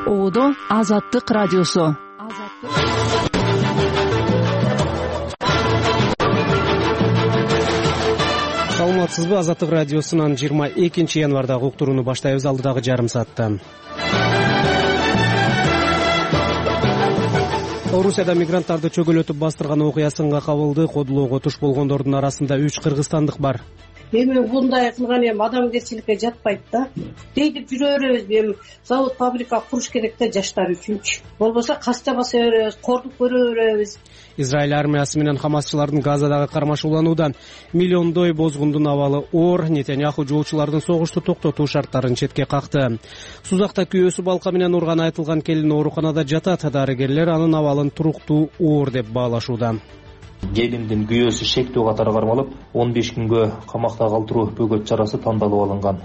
Оодо Азаттык радиосу. Саламатсызбы? Азаттык радиосунан 22 январдагы уктурууну баштайбыз. Алдыдагы жарым саатта Орусияда мигранттарды чөгөлөтүп бастырган окуя сынга кабылды. Кодулоого туш болгондордун арасында 3 кыргызстандык бар. Эми мындай кылган адамгерчиликке жатпайт да. Дейдип жүрө беребизби? Эми завод, фабрика куруш керек да жаштар үчүнчү. Болбосо каста баса беребиз, кордук көрө беребиз. Израиль армиясы менен хамасчылардын Газадагы кармашуулануудан миллиондой бозгундун абалы оор. Нетаньяху жоочулардын согушту токтотуу шарттарын четке какты. Сузакта күйөөсү балка менен урганы айтылган келин ооруканада жатат. Дарыгерлер анын абалын туруктуу оор деп баалашууда. Келиндин күйөөсү шектүү катары кармалып, 15 күнгө камакта калтыруу бөгөт чарасы тандалып алынган.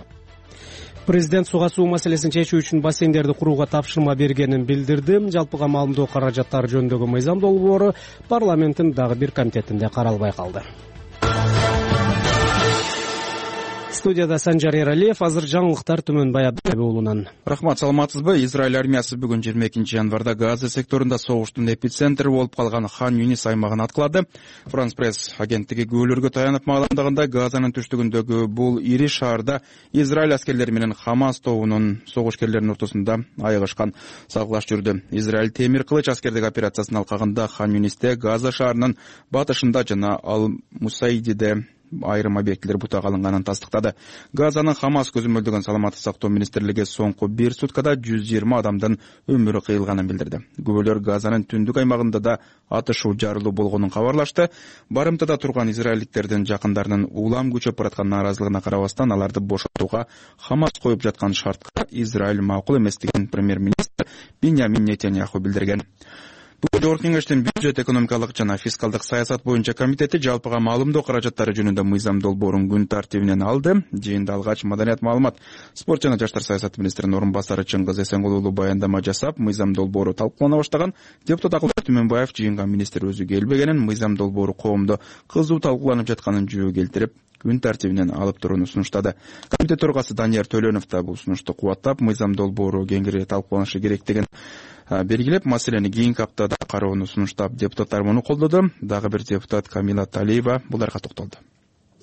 Президент суга суу маселесин чечүү үчүн бассейндерди курууга тапшырма бергенин билдирди. Жалпыга маалымдоо каражаттары жөнүндөгү мыйзам долбоору парламенттин дагы бир комитетинде каралбай калды. Студияда Санжар Эралиев. Азыр жаңылыктар Түмөн Баябек уулунан. Рахмат, саламатсызбы? Израиль армиясы бүгүн 22 январда Газа секторунда согуштун эпицентрі болуп калган Хан Юнис аймагын аткылады. Франс пресс агенттиги күбөлөргө таянып маалымдагандай, Газанын түштүгүндөгү бул ири шаарда Израиль аскерлери менен Хамас тобунун согушкерлеринин ортосунда айыгышкан сагылаш жүрдү. Израиль темир кылыч аскердик операциясынын алкагында Хан Юнисте, Газа шаарынын батышында жана Ал-Мусайдиде айрым объектилер бутага алынганын тастыктады. Газанын Хамас көзөмөлдөгөн саламаттык сактоо министрлиги соңку 1 суткада 120 адамдын өмүрү кыйылганын билдирди. Күбөлөр Газанын түндүк аймагында да атышуу жарылуу болгонун кабарлашты. Барымтада турган израилдиктердин жакындарынын улам күчөп бараткан нааразылыгына карабастан, аларды бошотууга Хамас коюп жаткан шартка Израиль макул эместигин премьер-министр Биньямин Нетаньяху билдирген. Бүгүн Жогорку кеңештин бюджет, экономикалык жана фискалдык саясат боюнча комитети жалпыга маалымдоо каражаттары жөнүндө мыйзам долбоорун күн тартибинен алды. Жыйында алгач маданият, маалымат, спорт жана жаштар саясаты министринин орун басары Чыңгыз Эсенгул уулу баяндама жасап, мыйзам долбоору талкуулана баштаган. Депутат Акылбек Түмөнбаев жыйынга министр өзү келбегенин, мыйзам долбоору коомдо кызуу талкууланып жатканын жөө келтирип, күн тартибинен алып турууну сунуштады. Комитет төрагасы Данияр Төлөнов да бул сунушту кубаттап, мыйзам долбоору кеңири талкууланышы керектигин белгилеп, маселени кийинки аптада кароону сунуштап, депутаттар муну колдоду. Дагы бир депутат Камила Талиева буларга токтолду.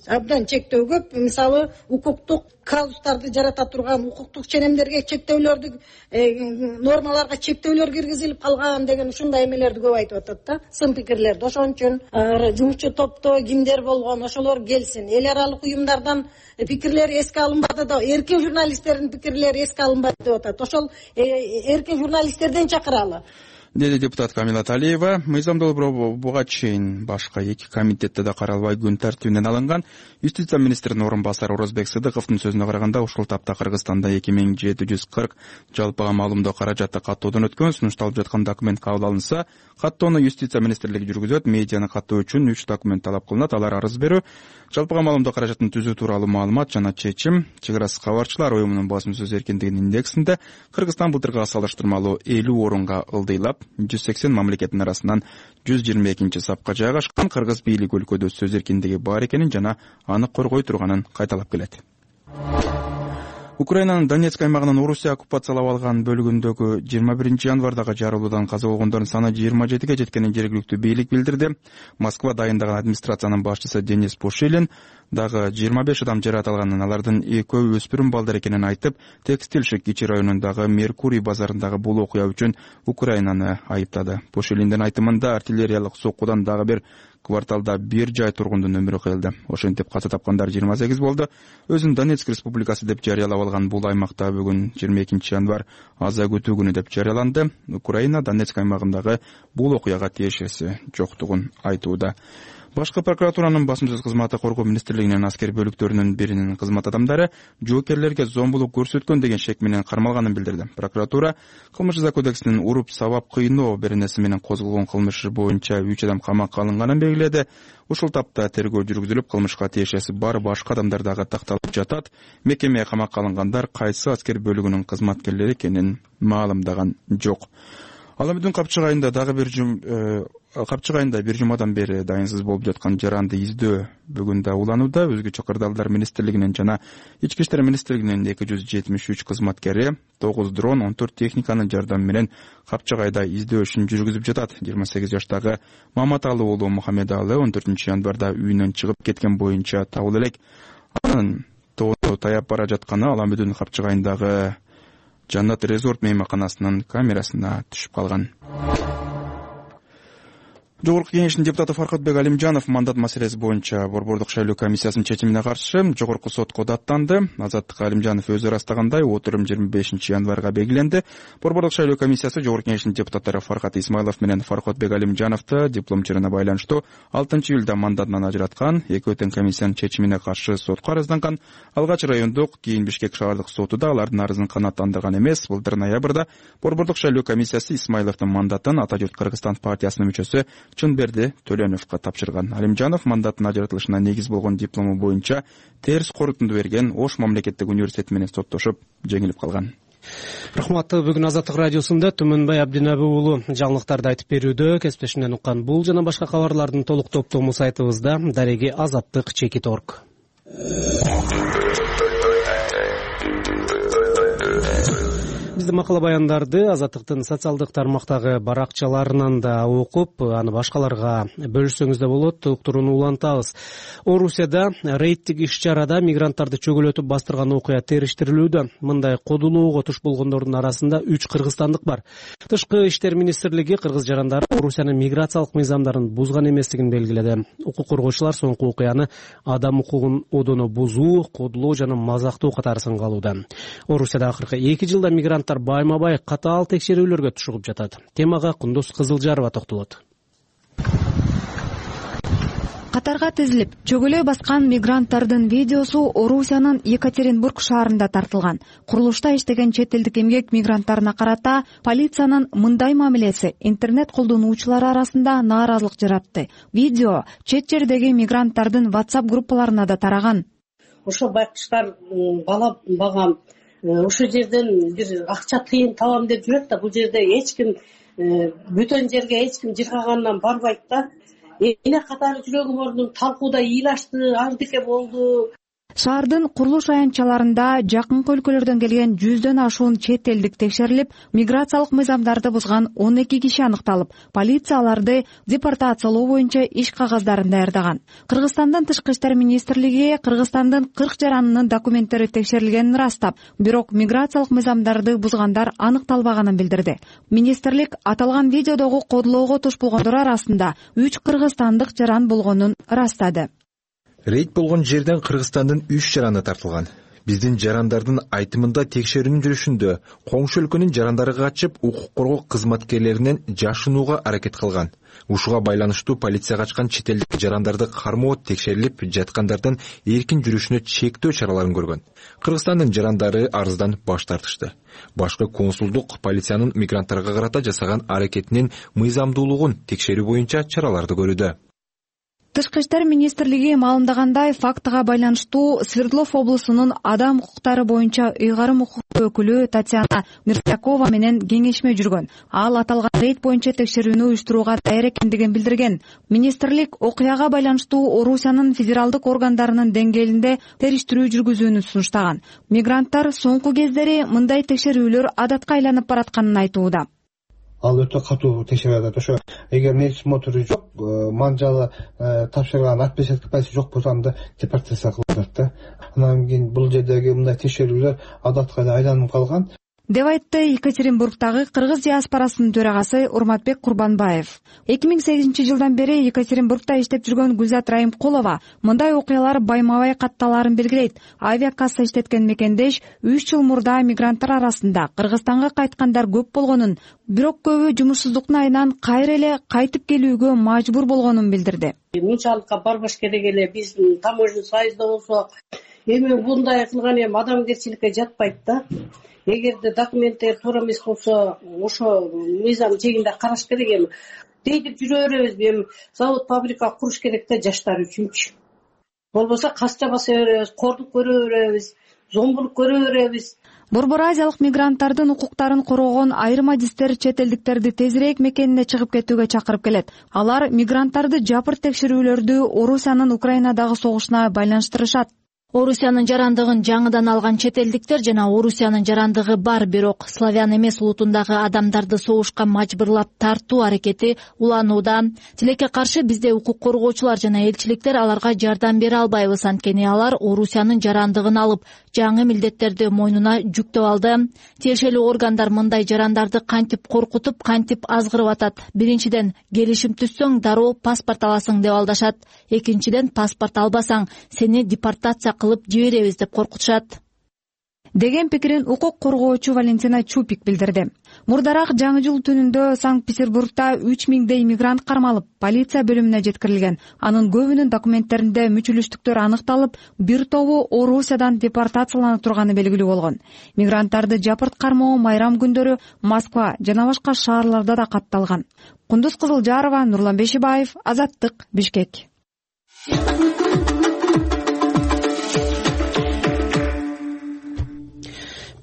Абдан чектөө көп, мисалы укуктук казустарды жарата турган, укуктук ченемдерге чектөөлөрдү, нормаларга чектөөлөр киргизилип калган деген ушундай эмелерди көп айтып атат да. Сын пикирлерди. Ошон үчүн жумушчу топто кимдер болгон, ошолор келсин. Эл аралык уюмдардан пикирлер эске алынбады да, эркин журналисттердин пикирлери эске алынбады деп атат. Ошол эркин журналисттерден чакыралы, деди депутат Камила Талиева. Мыйзам долбоору буга чейин башка 2 комитетте да каралбай күн тартибинен алынган. Юстиция министринин орун басары Орозбек Сыдыковдун сөзүнө караганда, ушул тапта Кыргызстанда 2740 жалпыга маалымдоо каражаты каттоодон өткөн. Сунушталып жаткан документ кабыл алынса, каттоону юстиция министрлиги жүргүзөт. Медианы каттоо үчүн 3 документ талап кылынат. Алар арыз берүү, жалпыга маалымдоо каражатын түзүү тууралуу маалымат жана чечим. Чек арасы кабарчылар уюмунун басым сөз эркиндигинин индексинде Кыргызстан былтыркыга салыштырмалуу 50 орунга ылдыйлап, 180 мамлекеттин арасынан 122 сапка жайгашкан. Кыргыз бийлиги өлкөдө сөз эркиндиги бар экенин жана аны коргой турганын кайталап келет. Украинанын Донецк аймагынын Орусия оккупациялап алган бөлүгүндөгү 21 январдагы жарылуудан каза болгондордун саны 27ге жеткенин жергиликтүү бийлик билдирди. Москва дайындаган администрациянын башчысы Денис Пушилин дагы 25 адам жаракат алганын, алардын экөө өспүрүм балдар экенин айтып, текстилшик Кичи районундагы Меркурий базарындагы бул окуя үчүн Украинаны айыптады. Пушилиндин айтымында, артиллериялык соккудан дагы бир кварталда 1 жай тургундун өмүрү кыйылды. Ошентип каза тапкандар 28 болду. Өзүн Донецк республикасы деп жарыялап алган бул аймакта бүгүн 22 январ аза күтүү күнү деп жарыяланды. Украина Донецк аймагындагы бул окуяга тиешеси жоктугун айтууда. Башкы прокуратуранын басым сөз кызматы коргоо министрлигинин аскер бөлүктөрүнүн биринин кызмат адамдары жоокерлерге зомбулук көрсөткөн деген шек менен кармалганын билдирди. Прокуратура кылмыш жаза кодексинин уруп сабап кыйноо беренеси менен козголгон кылмыш боюнча 3 адам камакка алынганын белгиледи. Ушул тапта тергөө жүргүзүлүп, кылмышка тиешеси бар башка адамдар дагы такталып жатат. Мекеме камакка алынгандар кайсы аскер бөлүгүнүн кызматкерлери экенин маалымдаган жок. Ал эми Капчык айында дагы бир Капчык айында бир жумадан бери дайынсыз болуп жаткан жаранды издөө бүгүн да уланууда. Өзгөчө кырдаалдар министрлигинин жана ички иштер министрлигинин 273 кызматкери 9 дрон, 14 техниканын жардамы менен Капчык айда издөө ишин жүргүзүп жатат. 28 жаштагы Маматалы уулу Мухаммедалы 14 январда үйүнөн чыгып кеткен боюнча табылып элек. Анын тоону таяп бара жатканы Ала Мүдүн Капчык айындагы Жаннат резорт мейманканасынын камерасына түшүп калган. Жогорку Кеңештин депутаты Фаркатбек Алимжанов мандат маселеси боюнча Борбордук шайлоо комиссиясынын чечимине каршы Жогорку сотко даттанды. Азаттык Алимжанов өзү ырастагандай, отурум 25 январга белгиленди. Борбордук шайлоо комиссиясы Жогорку Кеңештин депутаттары Фаркат Исмайлов менен Фаркатбек Алимжановду диплом чырына байланыштуу 6-июлда мандатынан ажыраткан. Экөө тең комиссиянын чечимине каршы сотко арызданган. Алгач райондук, кийин Бишкек шаардык соту да алардын арызын канааттандырган эмес. Былтыр ноябрда Борбордук шайлоо комиссиясы Исмайловдун мандатын Ата журт Кыргызстан партиясынын мүчөсү Чынберди Төлөновго тапшырган. Алимжанов мандаттын ажыратылышына негиз болгон диплому боюнча терс корутунду берген Ош мамлекеттик университети менен соттошуп жеңилип калган. Рахмат. Бүгүн Азаттык радиосунда Түмөнбай Абдинаби уулу жаңылыктарды айтып берүүдө. Кесиптешимден уккан бул жана башка кабарлардын толук топтому сайтыбызда дареги azаттык.org. Биздин макала баяндарды Азаттыктын социалдык тармактагы баракчаларынан да окуп, аны башкаларга бөлүшсөңүз да болот. Уктурууну улантабыз. Орусияда рейдтик иш-чарада мигранттарды чөгөлөтүп бастырган окуя териштирилүүдө. Мындай кодулоого туш болгондордун арасында 3 кыргызстандык бар. Тышкы иштер министрлиги кыргыз жарандары Орусиянын миграциялык мыйзамдарын бузган эместигин белгиледи. Укук коргоочулар соңку окуяны адам укугун одоно бузуу, кодулоо жана мазактоо катары сынгалууда. Орусияда акыркы 2 жылда мигранттар байма-бай катаал текшерүүлөргө тушугуп жатат. Темага Кундуз Кызылжарова токтолот. Катарга тизилип, чөгөлөй баскан мигранттардын видеосу Орусиянын Екатеринбург шаарында тартылган. Курулушта иштеген чет элдик эмгек мигранттарына карата полициянын мындай мамилеси интернет колдонуучулар арасында нааразылык жаратты. Видео чет жердеги мигранттардын WhatsApp группаларына да тараган. Ошо байкуштар бала багам, ошол жерден бир акча тыйын табам деп жүрөт да, бул жерде эч ким бөтөн жерге эч ким жыргагандан барбайт да. Эне катары жүрөгүм ордун талкууда ыйлашты, ардыке болду. Шаардын курулуш аянтчаларында жакынкы өлкөлөрдөн келген 100дөн ашуун чет элдик текшерилип, миграциялык мыйзамдарды бузган 12 киши аныкталып, полиция аларды депортациялоо боюнча иш кагаздарын даярдаган. Кыргызстандын тышкы иштер министрлиги Кыргызстандын 40 жаранынын документтери текшерилгенин ырастап, бирок миграциялык мыйзамдарды бузгандар аныкталбаганын билдирди. Министрлик аталган видеодогу кодулоого туш болгондор арасында 3 кыргызстандык жаран болгонун ырастады. Рейд болгон жерден Кыргызстандын 3 жараны тартылган. Биздин жарандардын айтымында текшерүүнүн жүрүшүндө коңшу өлкөнүн жарандары качып, укук коргоо кызматкерлеринен жашынууга аракет кылган. Ушуга байланыштуу полицияга ачкан чет элдик жарандарды кармоо текшерилип, жаткандардын эркин жүрүшүнө чектөө чараларын көргөн. Кыргызстандын жарандары арыздан баш тартышты. Башкы консулдук полициянын мигранттарга карата жасаган аракетинин мыйзамдуулугун текшерүү боюнча чараларды көрүүдө. Тышкы иштер министрлиги маалымдагандай, фактыга байланыштуу Свердлов облусунун адам укуктары боюнча ыйгарым укуктуу өкүлү Татьяна Миртякова менен кеңешме жүргөн. Ал аталган рейд боюнча текшерүүнү уюштурууга даяр экендигин билдирген. Министрлик окуяга байланыштуу Орусиянын федералдык органдарынын деңгээлинде териштирүү жүргүзүүнү сунуштаган. Мигранттар соңку кездери мындай текшерүүлөр адатка айланып баратканын айтууда. Ал өтө катуу текшерип атат. Ошо эгер медсмотру жок, манжалы тапшырган отпечатка пайсы жок болсо анда депортация кылып атат да. Анан кийин бул жердеги мындай текшерүүлөр адатка айланып калган. деп айтты Екатеринбургдагы кыргыз диаспорасынын төрагасы Урматбек Курбанбаев. 2008 жылдан бери Екатеринбургда иштеп жүргөн Гүлзат Райымкулова мындай окуялар байма-бай катталарын белгилейт. Авиакасса иштеткен мекендеш 3 жыл мурда мигранттар арасында Кыргызстанга кайткандар көп болгонун, бирок көбү жумушсуздуктун айынан кайра эле кайтып келүүгө мажбур болгонун билдирди. Мынчалыкка барбаш керек эле, биз таможня союзда болсок, эми мындай кылган эми адамгерчиликке жатпайт да. Эгерде документтер туура эмес болсо, ошо мыйзам жегинде караш керек. Эми дейдип жүрө беребиз, эми завод, фабрика куруш керек да жаштар үчүнчү. Болбосо касча баса беребиз, кордук көрө беребиз. зомбулук көрө беребиз. Борбор Азиялык мигранттардын укуктарын коргогон айрым адистер чет элдиктерди тезирээк мекенине чыгып кетүүгө чакырып келет. Алар мигранттарды жапырт текшерүүлөрдү Орусиянын Украинадагы согушуна байланыштырышат. Орусиянын жарандыгын жаңыдан алган чет элдиктер жана Орусиянын жарандыгы бар, бирок славян эмес улутундагы адамдарды согушка мажбурлап тартуу аракети уланууда. Тилекке каршы бизде укук коргоочулар жана элчиликтер аларга жардам бере албайбыз, анткени алар Орусиянын жарандыгын алып, жаңы милдеттерди мойнуна жүктөп алды. Тиешелүү органдар мындай жарандарды кантип коркутуп, кантип азгырып атат? Биринчиден, келишим түзсөң дароо паспорт аласың деп алдашат. Экинчиден, паспорт албасаң сени депортация кылып жиберебиз деп коркутушат деген пикирин укук коргоочу Валентина Чупик билдирди. Мурдараак жаңы жыл түнүндө Санкт-Петербургда 3000дей мигрант кармалып, полиция бөлүмүнө жеткирилген. Анын көбүнүн документтеринде мүчүлүштүктөр аныкталып, бир тобу Орусиядан депортацияланып турганы белгилүү болгон. Мигранттарды жапырт кармоо майрам күндөрү Москва жана башка шаарларда да катталган. Кундуз Кызылжарова, Нурлан Бешибаев, Азаттык, Бишкек.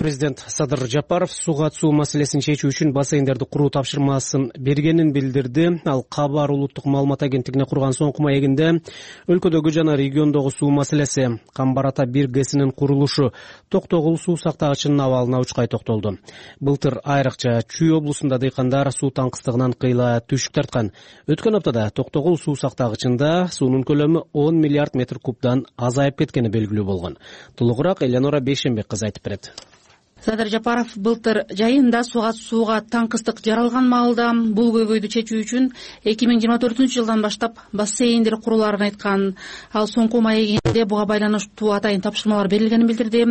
Президент Садыр Жапаров сууга суу маселесин чечүү үчүн бассейндерди куруу тапшырмасын бергенин билдирди. Ал Кабар улуттук маалымат агенттигине курган соңку маегинде өлкөдөгү жана региондогу суу маселеси, Камбар-Ата 1 ГЭСинин курулушу, Токтогул суу сактагычынын абалына учкай токтолду. Былтыр айрыкча Чүй облусунда дыйкандар суу таңкыстыгынан кыйла түшүк тарткан. Өткөн аптада Токтогул суу сактагычында суунун көлөмү 10 миллиард метр кубдан азайып кеткени белгилүү болгон. Толугураак Элеонора Бейшенбек кызы айтып берет. Садыр Жапаров былтыр жайында сууга таңкыстык жаралган маалда бул көйгөйдү чечүү үчүн 2024-жылдан баштап бассейндер куруларын айткан. Ал соңку маегинде буга байланыштуу атайын тапшырмалар берилгенин билдирди.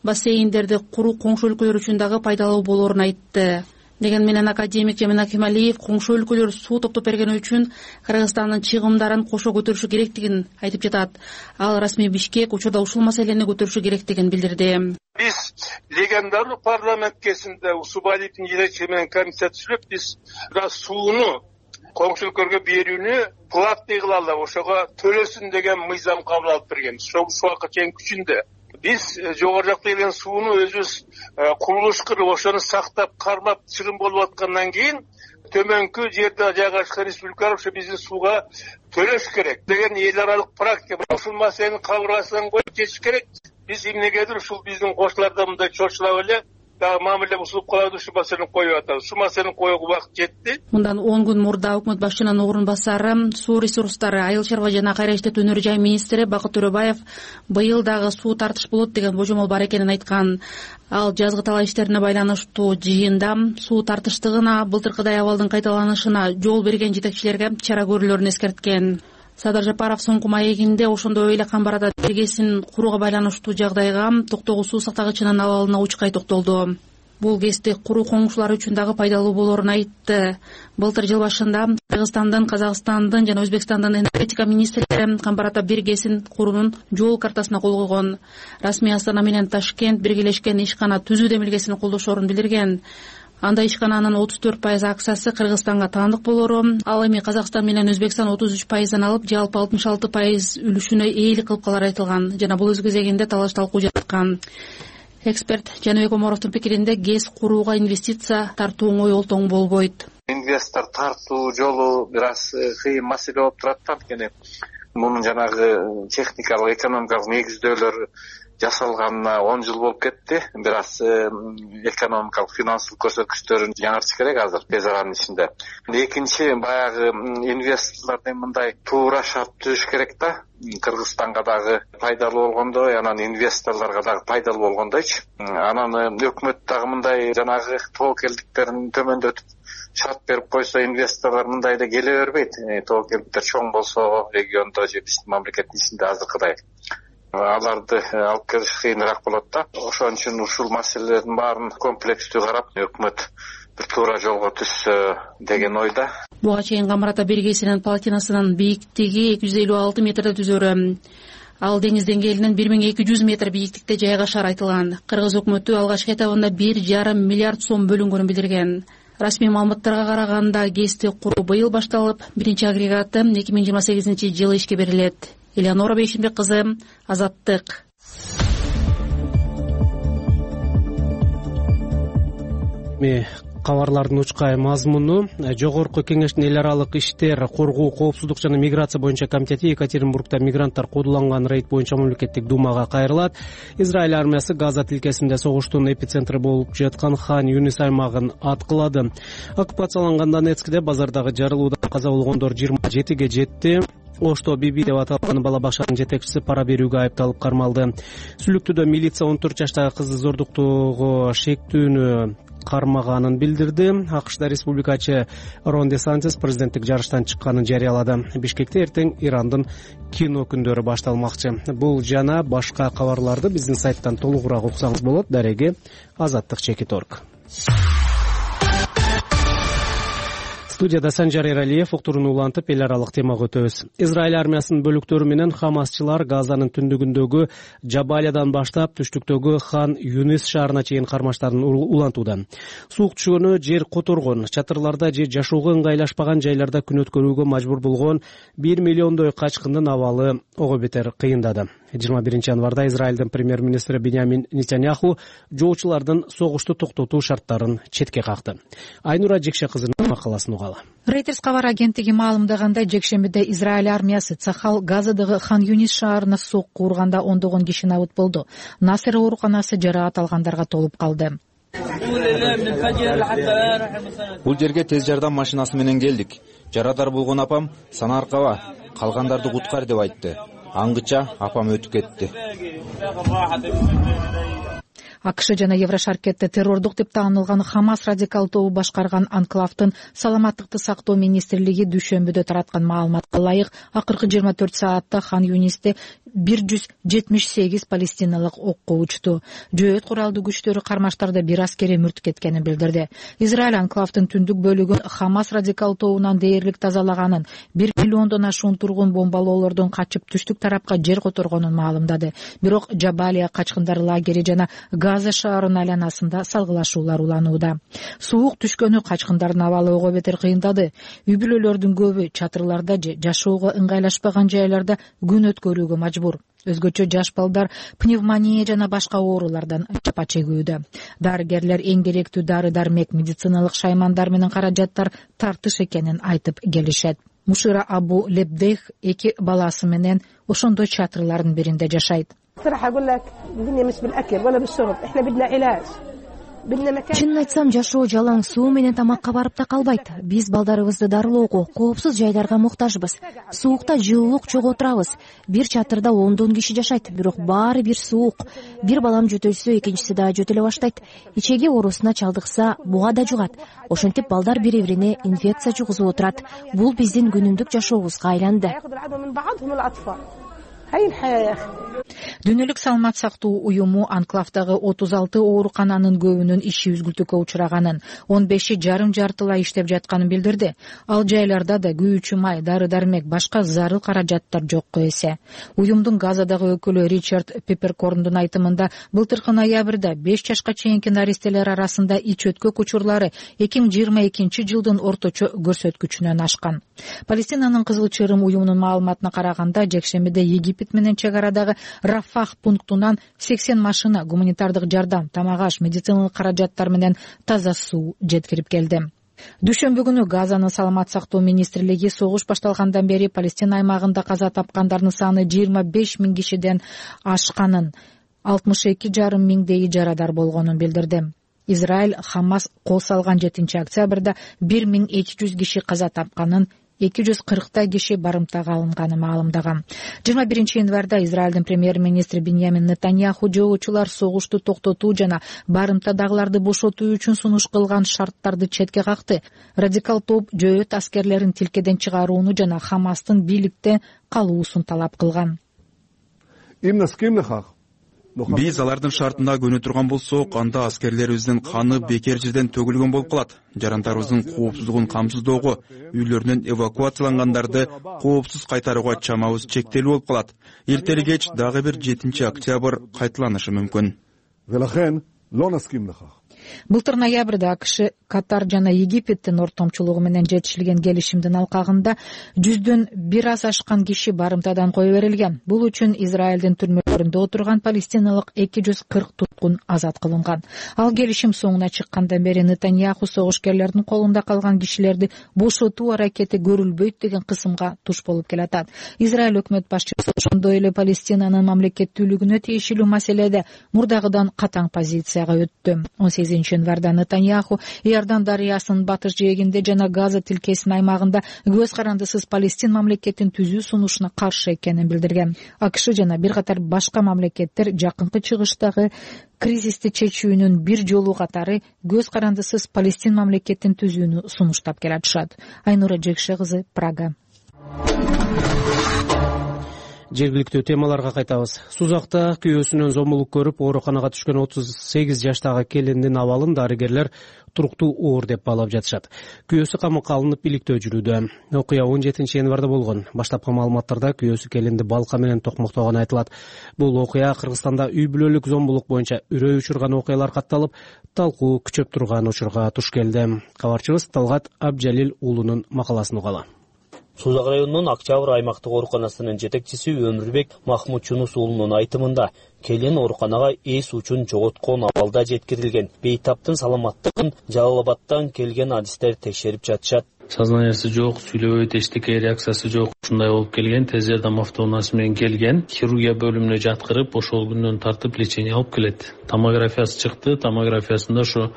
Бассейндерди куруу коңшу өлкөлөр үчүн дагы пайдалуу болоорун айтты. Деген менен академик Жамин Акималиев коңшу өлкөлөр суу топтоп бергени үчүн Кыргызстандын чыгымдарын кошо көтөрүшү керектигин айтып жатат. Ал расмий Бишкек учурда ушул маселени көтөрүшү керектигин билдирди. Биз легендарный парламент кезинде Усубалиевдин жетекчилиги менен комиссия түзүлүп, биз сууну коңшу өлкөлөргө берүүнү платный кылалы, ошого төлөсүн деген мыйзам кабыл алып бергенбиз. Ошол убакытка чейин күчүндө. Биз жогору жакта келген сууну өзүбүз курулуш кылып, ошону сактап, кармап, чыгым болуп аткандан кийин төмөнкү жерде жайгашкан республикалар ошо биздин сууга төлөш керек деген эл аралык практика. Ушул маселени кабыргасынан коюп чечиш керек. Биз эмнегедир ушул биздин кошчуларда мындай чочулап эле дагы мамиле бузулуп калат, ушул маселени коюп атабыз. Ушул маселени коюуга убакыт жетти. Мындан 10 күн мурда өкмөт башчынын орун басары, суу ресурстары, айыл чарба жана кайра иштетүү өнөр жай министри Бакыт Төрөбаев быйыл дагы суу тартыш болот деген божомол бар экенин айткан. Ал жазгы талаа иштерине байланыштуу жыйында суу тартыштыгына, былтыркыдай абалдын кайталанышына жол берген жетекчилерге чара көрүүлөрүн эскерткен. Садыр Жапаров соңку маегинде ошондой эле Камбар-Ата 1 ГЭСин курууга байланыштуу жагдайга Токтогул суу сактагычынын абалына учкай токтолду. Бул ГЭСти куруу коңшулар үчүн дагы пайдалуу болоорун айтты. Былтыр жыл башында Кыргызстандын, Казакстандын жана Өзбекстандын энергетика министрлери Камбар-Ата 1 ГЭСин куруунун жол картасына кол койгон. Расмий Астана менен Ташкент биргелешкен ишкана түзүү демилгесин колдошоорун билдирген. Анда ишкананын 34% акчасы Кыргызстанга таандык болору, ал эми Казакстан менен Өзбекстан 33%дан алып, жалпы 66% үлүшүнө ээлик кылып калары айтылган. Жана бул өз кезегинде талаш талкуу жаткан. Эксперт Жаныбек Омаровдун пикиринде ГЭС курууга инвестиция тартуу оңой олтоң болбойт. Инвестор тартуу жолу бир аз кыйын маселе болуп турат, анткени мунун жанагы техникалык, экономикалык негиздөөлөр жасалганына 10 жыл болуп кетти. Бир аз экономикалык, финансылык көрсөткүчтөрүн жаңыртыш керек азыр тез аранын ичинде. Экинчи, баягы инвесторлордун мындай туура шарт түзүш керек да. Кыргызстанга дагы пайдалуу болгондой, анан инвесторлорго дагы пайдалуу болгондойчу. Анан өкмөт дагы мындай жанагы тобокелдиктерин төмөндөтүп шарт берип койсо, инвесторлор мындай да келе бербейт. Тобокелдиктер чоң болсо региондо же биздин мамлекеттин ичинде азыркыдай аларды алып келиш кыйыныраак болот да. Ошон үчүн ушул маселелердин баарын комплекстүү карап, өкмөт бир туура жолго түшсө деген ойда. Буга чейин Камбар-Ата 1 ГЭСинин плотинасынын бийиктиги 256 метрде түзөрү. Ал деңиз деңгээлинен 1200 метр бийиктикте жайгашары айтылган. Кыргыз өкмөтү алгачкы этабында 1,5 миллиард сом бөлүнгөнүн билдирген. Расмий маалыматтарга караганда ГЭСти куруу быйыл башталып, биринчи агрегаты 2028-жылы ишке берилет. Элеонора Бейшенбек кызы, Азаттык. эми кабарлардын учкай мазмуну. Жогорку кеңештин эл аралык иштер, коргоо, коопсуздук жана миграция боюнча комитети Екатеринбургда мигранттар куудуланган рейд боюнча мамлекеттик думага кайрылат. Израиль армиясы Газа тилкесинде согуштун эпицентри болуп жаткан Хан Юнис аймагын аткылады. Оккупацияланган Донецкте базардагы жарылуудан каза болгондор 27ге жетти. Ошто Биби деп аталган бала бакчанын жетекчиси пара берүүгө айыпталып кармалды. Сүлүктүүдө милиция 14 жаштагы кызды зордуктоого шектүүнү кармаганын билдирди. АКШда республикачы Рон Де Сантис президенттик жарыштан чыкканын жарыялады. Бишкекте эртең Ирандын кино күндөрү башталмакчы. Бул жана башка кабарларды биздин сайттан толугураак уксаңыз болот. Дареги Азаттык Чекит.орг. Студияда Санжар Эралиев уктурууну улантып эл аралык темага өтөбүз. Израиль армиясынын бөлүктөрү менен хамасчылар Газанын түндүгүндөгү Жабалиядан баштап түштүктөгү Хан Юнис шаарына чейин кармаштарын улантууда. Суук түшкөнү жер которгон, чатырларда же жашоого ыңгайлашпаган жайларда күн өткөрүүгө мажбур болгон 1 миллиондой качкындын абалы ого бетер кыйындады. 21 январда Израилдин премьер-министри Биньямин Нетаньяху жоочулардын согушту токтотуу шарттарын четке какты. Айнура Жекше кызынын макаласын угалы. Reuters кабар агенттиги маалымдагандай, жекшембиде Израиль армиясы Цахал Газадагы Хан Юнис шаарына сокку урганда ондогон киши набыт болду. Насыр ооруканасы жараат алгандарга толуп калды. Бул жерге тез жардам машинасы менен келдик. Жарадар болгон апам Санаркаба калгандарды куткар деп айтты. Аңгыча апам өтүп кетти. АКШ жана Еврошаркетте террордук деп таанылган Хамас радикал тобу башкарган анклавдын саламаттыкты сактоо министрлиги дүйшөмбүдө тараткан маалыматка ылайык акыркы 24 саатта Хан Юнисте 178 палестиналык окко учту. Жөөт куралдуу күчтөрү кармаштарда бир аскери мүрт кеткенин билдирди. Израиль анклавдын түндүк бөлүгүн Хамас радикал тобунан дээрлик тазалаганын, 1 миллиондон ашуун тургун бомбалоолордон качып түштүк тарапка жер которгонун маалымдады. Бирок Жабалия качкындар лагери жана Газа шаарынын айланасында салгылашуулар уланууда. Суук түшкөнү качкындардын абалы ого бетер кыйындады. Үй бүлөлөрдүн көбү чатырларда же жашоого ыңгайлашпаган жайларда күн өткөрүүгө мажбур. Өзгөчө жаш балдар пневмония жана башка оорулардан жапа чегүүдө. Дарыгерлер эң керектүү дары-дармек, медициналык шаймандар менен каражаттар тартыш экенин айтып келишет. Мушира Абу Лебдех 2 баласы менен ошондой чатырлардын биринде жашайт. Чынын айтсам, жашоо жалаң суу менен тамакка барып да калбайт. Биз балдарыбызды дарылоого, коопсуз жайларга муктажбыз. Суукта жылуулук чогуу турабыз. Бир чатырда 10 киши жашайт, бирок баары бир суук. Бир балам жөтөлсө, экинчиси да жөтөлө баштайт. Ичеги оорусуна чалдыкса, буга да жугат. Ошентип балдар бири-бирине инфекция жугузуп отурат. Бул биздин күнүмдүк жашообузга айланды. Дүйнөлүк саламат сактоо уюму анклавдагы 36 оорукананын көбүнүн иши үзгүлтүккө учураганын, 15 жарым жартылай иштеп жатканын билдирди. Ал жайларда да күйүүчү май, дары-дармек, башка зарыл каражаттар жокко эсе. Уюмдун Газадагы өкүлү Ричард Пепперкорндун айтымында, былтыркы ноябрда 5 жашка чейинки наристелер арасында ич өткөк учурлары 2022 жылдын орточо көрсөткүчүнөн ашкан. Палестинанын Кызыл Чырым уюмунун маалыматына караганда, жекшембиде Египет менен чек арадагы Рафах пунктунан 80 машина гуманитардык жардам, тамак-аш, медициналык каражаттар менен таза суу жеткирип келди. Дүйшөмбү күнү Газанын саламат сактоо министрлиги согуш башталгандан бери Палестина аймагында каза тапкандардын саны 25 000 кишиден ашканын, 62,5 миңдейи жарадар болгонун билдирди. Израиль Хамас кол салган 7 октябрда 1200 киши каза тапканын, 240 киши барымтага алынганы маалымдаган. 21 январда Израилдин премьер-министри Биньямин Нетаньяху жоочулар согушту токтотуу жана барымтадагыларды бошотуу үчүн сунуш кылган шарттарды четке какты. Радикал топ жөөт аскерлерин тилкеден чыгарууну жана Хамастын бийликте калуусун талап кылган. Биз алардын шартына көнө турган болсок, анда аскерлерибиздин каны бекер жерден төгүлгөн болуп калат. Жарандарыбыздын коопсуздугун камсыздоого, үйлөрүнөн эвакуациялангандарды коопсуз кайтарууга чамабыз чектелүү болуп калат. Эртели кеч дагы бир 7 октябрь кайталанышы мүмкүн. Былтыр ноябрда АКШ Катар жана Египеттин ортомчулугу менен жетишилген келишимдин алкагында 100дөн бир аз ашкан киши барымтадан кое берилген. Бул үчүн Израилдин түрмөлөрүндө отурган палестиналык 240 туткун азат кылынган. Ал келишим соңуна чыккандан бери Нетаньяху согушкерлердин колунда калган кишилерди бошотуу аракети көрүлбөйт деген кысымга туш болуп келатат. Израиль өкмөт башчысы ошондой эле Палестинанын мамлекеттүүлүгүнө тиешелүү маселеде мурдагыдан катаң позицияга өттү. 18 январда Нетаньяху Иордан дарыясынын батыш жээгинде жана Газа тилкесинин аймагында көз карандысыз Палестин мамлекетин түзүү сунушуна каршы экенин билдирген. АКШ жана бир катар башка мамлекеттер жакынкы чыгыштагы кризисти чечүүнүн бир жолу катары көз карандысыз Палестин мамлекетин түзүүнү сунуштап келатышат. Айнура Жекше кызы, Прага. Жергиликтүү темаларга кайтабыз. Сузакта күйөөсүнөн зомбулук көрүп ооруканага түшкөн 38 жаштагы келиндин абалын дарыгерлер туруктуу оор деп баалап жатышат. Күйөөсү камакка алынып иликтөө жүрүүдө. Окуя 17 январда болгон. Баштапкы маалыматтарда күйөөсү келинди балка менен токмоктогону айтылат. Бул окуя Кыргызстанда үй бүлөлүк зомбулук боюнча үрөй учурган окуялар катталып, талкуу күчөп турган учурга туш келди. Кабарчыбыз Талгат Абжалил уулунун макаласын угалы. Сузак районунун Октябрь аймактык ооруканасынын жетекчиси Өмүрбек Махмутчунус уулунун айтымында келин ооруканага эс учун жоготкон абалда жеткирилген. Бейтаптын саламаттыгын Жалал Абадтан келген адистер текшерип жатышат. Сознаниясы жок, сүйлөбөйт, эчтеке реакциясы жок. Ушундай болуп келген, тез жардам автоунаасы менен келген. Хирургия бөлүмүнө жаткырып, ошол күндөн тартып лечение алып келет. Томографиясы чыкты, томографиясында ошо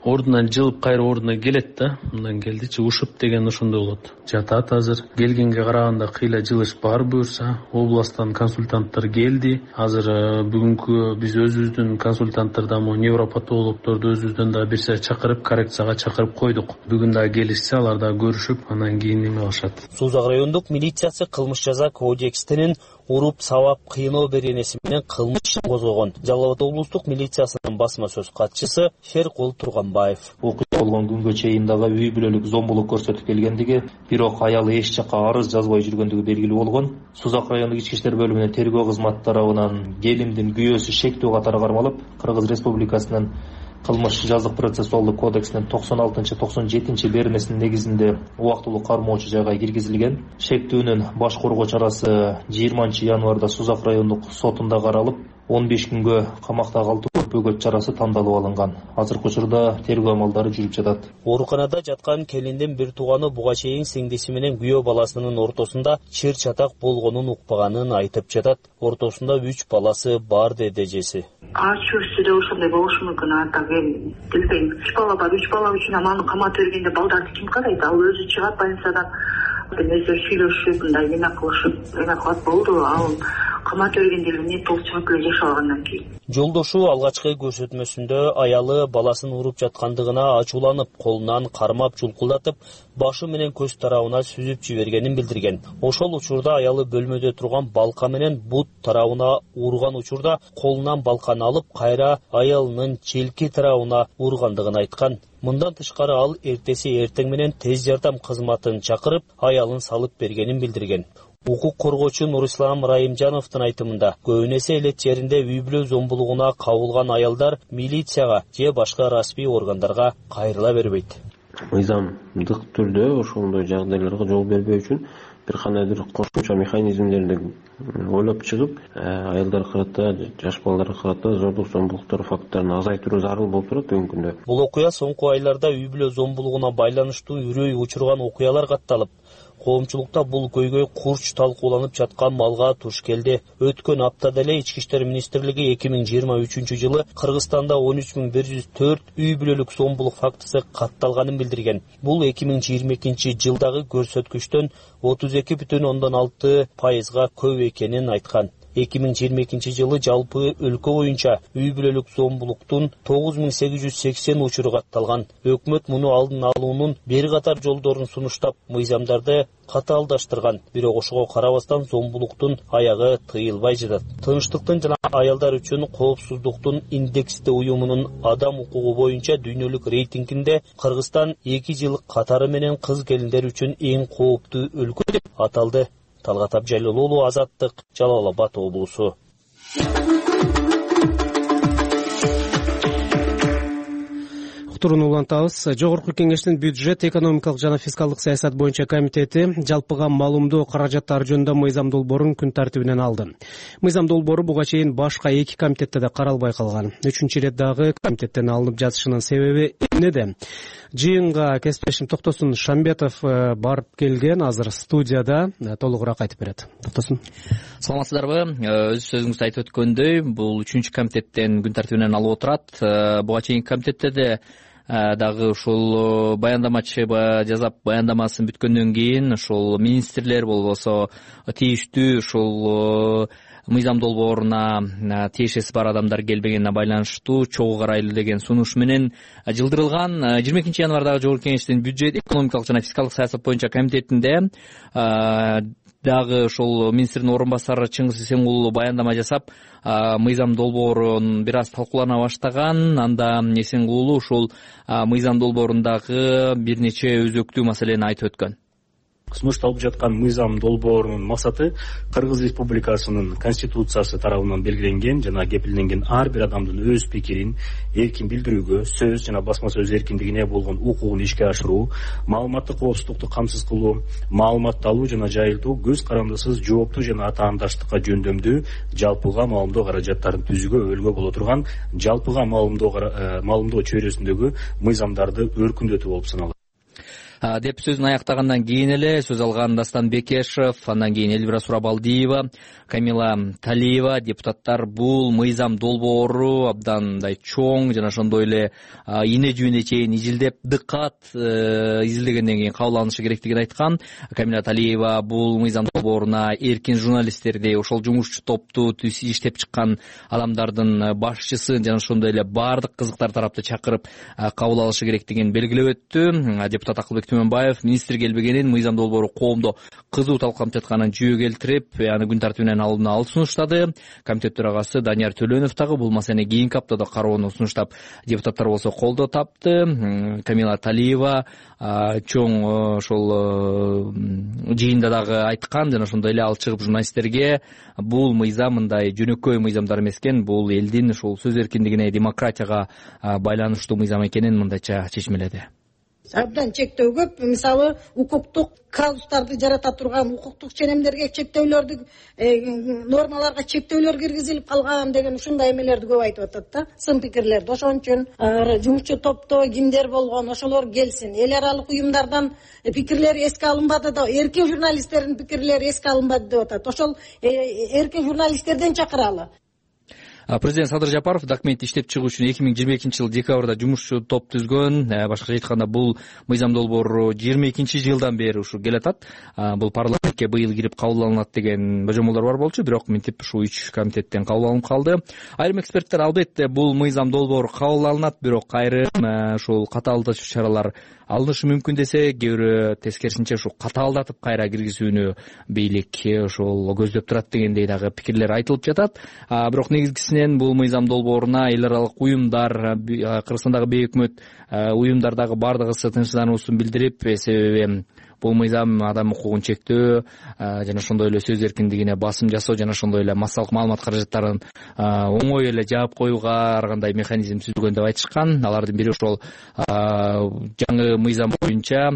ордунан жылып кайра ордуна келет да, мындан келдичи ушуп деген ошондой болот. Жатат азыр. Келгенге караганда кыйла жылыш бар буюрса, областтан консультанттар келди. Азыр бүгүнкү биз өзүбүздүн консультанттардан невропатологдорду өзүбүздөн да бир сая чакырып, коррекцияга чакырып койдук. Бүгүн да келишсе алар да көрүшүп, анан кийин эме кылышат. Сузак райондук милициясы кылмыш жаза кодексинин уруп, сабап, кыйноо беренеси менен кылмыш ишин козгогон. Жалал Абад облустук милициясынын басма сөз катчысы Шеркул Турганбаев. Окуя болгон күнгө чейин дагы үй бүлөлүк зомбулук көрсөтүп келгендиги, бирок аял эч жакка арыз жазбай жүргөндүгү белгилүү болгон. Сузак райондук ички иштер бөлүмүнүн тергөө кызматы тарабынан келиндин күйөөсү шектүү катары кармалып, Кыргыз Республикасынын кылмыш жазык процессуалдык кодексинин 96-97 бермесинин негизинде убактылуу кармоочу жайга киргизилген. Шектүүнүн баш коргоо чарасы 20 январда Сузак райондук сотунда каралып, 15 күнгө камакта калтыруу бөгөт чарасы тандалып алынган. Азыркы учурда тергөө амалдары жүрүп жатат. Ооруканада жаткан келиндин бир тууганы буга чейин сиңдиси менен күйөө баласынын ортосунда чыр чатак болгонун укпаганын айтып жатат. Ортосунда 3 баласы бар деди эжеси. Ачуусу да ошондой болушу мүмкүн, ата билбейм. 3 бала бар, 3 бала үчүн аманы каматып бергенде балдарды ким карайт? Ал өзү чыгат больницадан. Өздөрү сүйлөшүп, мындай эме кылышып, эме кылат болду. Ал каматып бергенде эмне толук чыгып эле жашап алгандан кийин. Жолдошу алгачкы көрсөтмөсүндө аялы баласын уруп жаткандыгына ачууланып, колунан кармап жулкулдатып, башы менен көз тарабына сүзүп жибергенин билдирген. Ошол учурда аялы бөлмөдө турган балка менен бут тарабына урган учурда колунан балканы алып, кайра аялынын челки тарабына ургандыгын айткан. Мындан тышкары ал эртеси эртең менен тез жардам кызматын чакырып, аялын салып бергенин билдирген. Укук коргоочу Нурислам Райымжановдун айтымында, көбүнесе элет жеринде үй бүлө зомбулугуна кабылган аялдар милицияга же башка расмий органдарга кайрыла бербейт. Мыйзамдык түрдө ошондой жагдайларга жол бербөө үчүн бир кандайдыр кошумча механизмдерди ойлоп чыгып, аялдарга карата, жаш балдарга карата зордук зомбулуктар факттарын азайтыруу зарыл болуп турат бүгүнкү күндө. Бул окуя соңку айларда үй бүлө зомбулугуна байланыштуу үрөй учурган окуялар катталып, коомчулукта бул көйгөй курч талкууланып жаткан малга туш келди. Өткөн аптада эле Ички иштер министрлиги 2023 жылы Кыргызстанда 13104 үй бүлөлүк зомбулук фактысы катталганын билдирген. Бул 2022 жылдагы көрсөткүчтөн 32,6% көп экенин айткан. 2022 жылы жалпы өлкө боюнча үй бүлөлүк зомбулуктун 9880 учуру катталган. Өкмөт муну алдын алуунун бир катар жолдорун сунуштап, мыйзамдарды катаалдаштырган. Бирок ошого карабастан зомбулуктун аягы тыйылбай жатат. Тынчтыктын жана аялдар үчүн коопсуздуктун индексти уюмунун адам укугу боюнча дүйнөлүк рейтингинде Кыргызстан 2 жыл катары менен кыз келиндер үчүн эң кооптуу өлкө деп аталды. Талгат Абжалил уулу, Азаттык, Жалал Абад облусу. уктурууну улантабыз. Жогорку Кеңештин бюджет, экономикалык жана фискалдык саясат боюнча комитети жалпыга маалымдоо каражаттары жөнүндө мыйзам долбоорун күн тартибинен алды. Мыйзам долбоору буга чейин башка 2 комитетте да каралбай калган. 3-чү ирет дагы комитеттен алынып жатышынын себеби эмнеде? Жыйынга кесиптешим Токтосун Шамбетов барып келген, азыр студияда, толугураак айтып берет. Токтосун. Саламатсыздарбы? Өз сөзүңүздө айтып өткөндөй, бул 3-чү комитеттен күн тартибинен алып отурат. Буга чейин комитетте дагы ушул баяндамачы жасап, баяндамасын бүткөндөн кийин ушул министрлер болбосо тийиштүү ушул мыйзам долбооруна тиешеси бар адамдар келбегенине байланыштуу чогуу карайлы деген сунуш менен жылдырылган. 22 январдагы Жогорку Кеңештин бюджет, экономикалык жана фискалдык саясат боюнча комитетинде дагы ошол министрдин орун басары Чыңгыз Эсенгулу баяндама жасап, мыйзам долбоорун бир аз талкуулана баштаган. Анда Эсенгулу ушул мыйзам долбоорундагы бир нече өзөктүү маселени айтып өткөн. Сунушталып жаткан мыйзам долбоорунун максаты Кыргыз Республикасынын конституциясы тарабынан белгиленген жана кепилденген ар бир адамдын өз пикирин эркин билдирүүгө, сөз жана басма сөз эркиндигине болгон укугун ишке ашыруу, маалыматтык коопсуздукту камсыз кылуу, маалыматты алуу жана жайылтуу, көз карандысыз жооптуу жана атаандаштыкка жөндөмдүү жалпыга маалымдоо каражаттарын түзүүгө өбөлгө боло турган жалпыга маалымдоо чөйрөсүндөгү мыйзамдарды өркүндөтүү болуп саналат деп сөзүн аяктагандан кийин эле сөз алган Дастан Бекешев, андан кийин Элвира Сурабалдиева, Камила Талиева депутаттар бул мыйзам долбоору абдан мындай чоң жана ошондой эле ийне жүүнүнө чейин изилдеп, дыккат изилдегенден кийин кабыл алынышы керектигин айткан. Камила Талиева бул мыйзам долбооруна эркин журналисттерди, ошол жумушчу топту иштеп чыккан адамдардын башчысын жана ошондой эле баардык кызыктар тарапты чакырып кабыл алышы керектигин белгилеп өттү. Депутат Акылбек Түмөнбаев министр келбегенин, мыйзам долбоору коомдо кызуу талкууланып жатканын жүйө келтирип, аны күн тартибинен алууну алып сунуштады. Комитет төрагасы Данияр Төлөнов дагы бул маселени кийинки аптада кароону сунуштап, депутаттар болсо колдоо тапты. Камила Талиева чоң ошол жыйында дагы айткан жана ошондой эле ал чыгып журналисттерге бул мыйзам мындай жөнөкөй мыйзамдар эмес экен, бул элдин ушул сөз эркиндигине, демократияга байланыштуу мыйзам экенин мындайча чечмеледи. Абдан чектөө көп. Мисалы, укуктук казустарды жарата турган, укуктук ченемдерге чектөөлөрдү, нормаларга чектөөлөр киргизилип калган деген ушундай эмелерди көп айтып атат да, сын пикирлерди. Ошон үчүн жумушчу топто кимдер болгон, ошолор келсин. Эл аралык уюмдардан пикирлери эске алынбады да, эркин журналисттердин пикирлери эске алынбады деп атат. Ошол эркин журналисттерден чакыралы. Президент Садыр Жапаров документти иштеп чыгуу үчүн 2022-жылы декабрда жумушчу топ түзгөн. Башкача айтканда, бул мыйзам долбоору 22-жылдан бери ушу келатат. Бул парламентке быйыл кирип кабыл алынат деген божомолдор бар болчу, бирок мынтип ушу 3 комитеттен кабыл алынып калды. Айрым эксперттер албетте бул мыйзам долбоору кабыл алынат, бирок айрым ушул катаалдатуу чаралар алынышы мүмкүн десе, кээ бирөө тескерисинче ушу катаалдатып кайра киргизүүнү бийлик ушул көздөп турат дегендей дагы пикирлер айтылып жатат. Бирок негизгисинен бул мыйзам долбооруна эл аралык уюмдар, Кыргызстандагы бейөкмөт уюмдар дагы бардыгы тынчсыздануусун билдирип, себеби бул мыйзам адам укугун чектөө жана ошондой эле сөз эркиндигине басым жасоо жана ошондой эле массалык маалымат каражаттарын оңой эле жаап коюуга ар кандай механизм түзүлгөн деп айтышкан. Алардын бири ошол жаңы мыйзам боюнча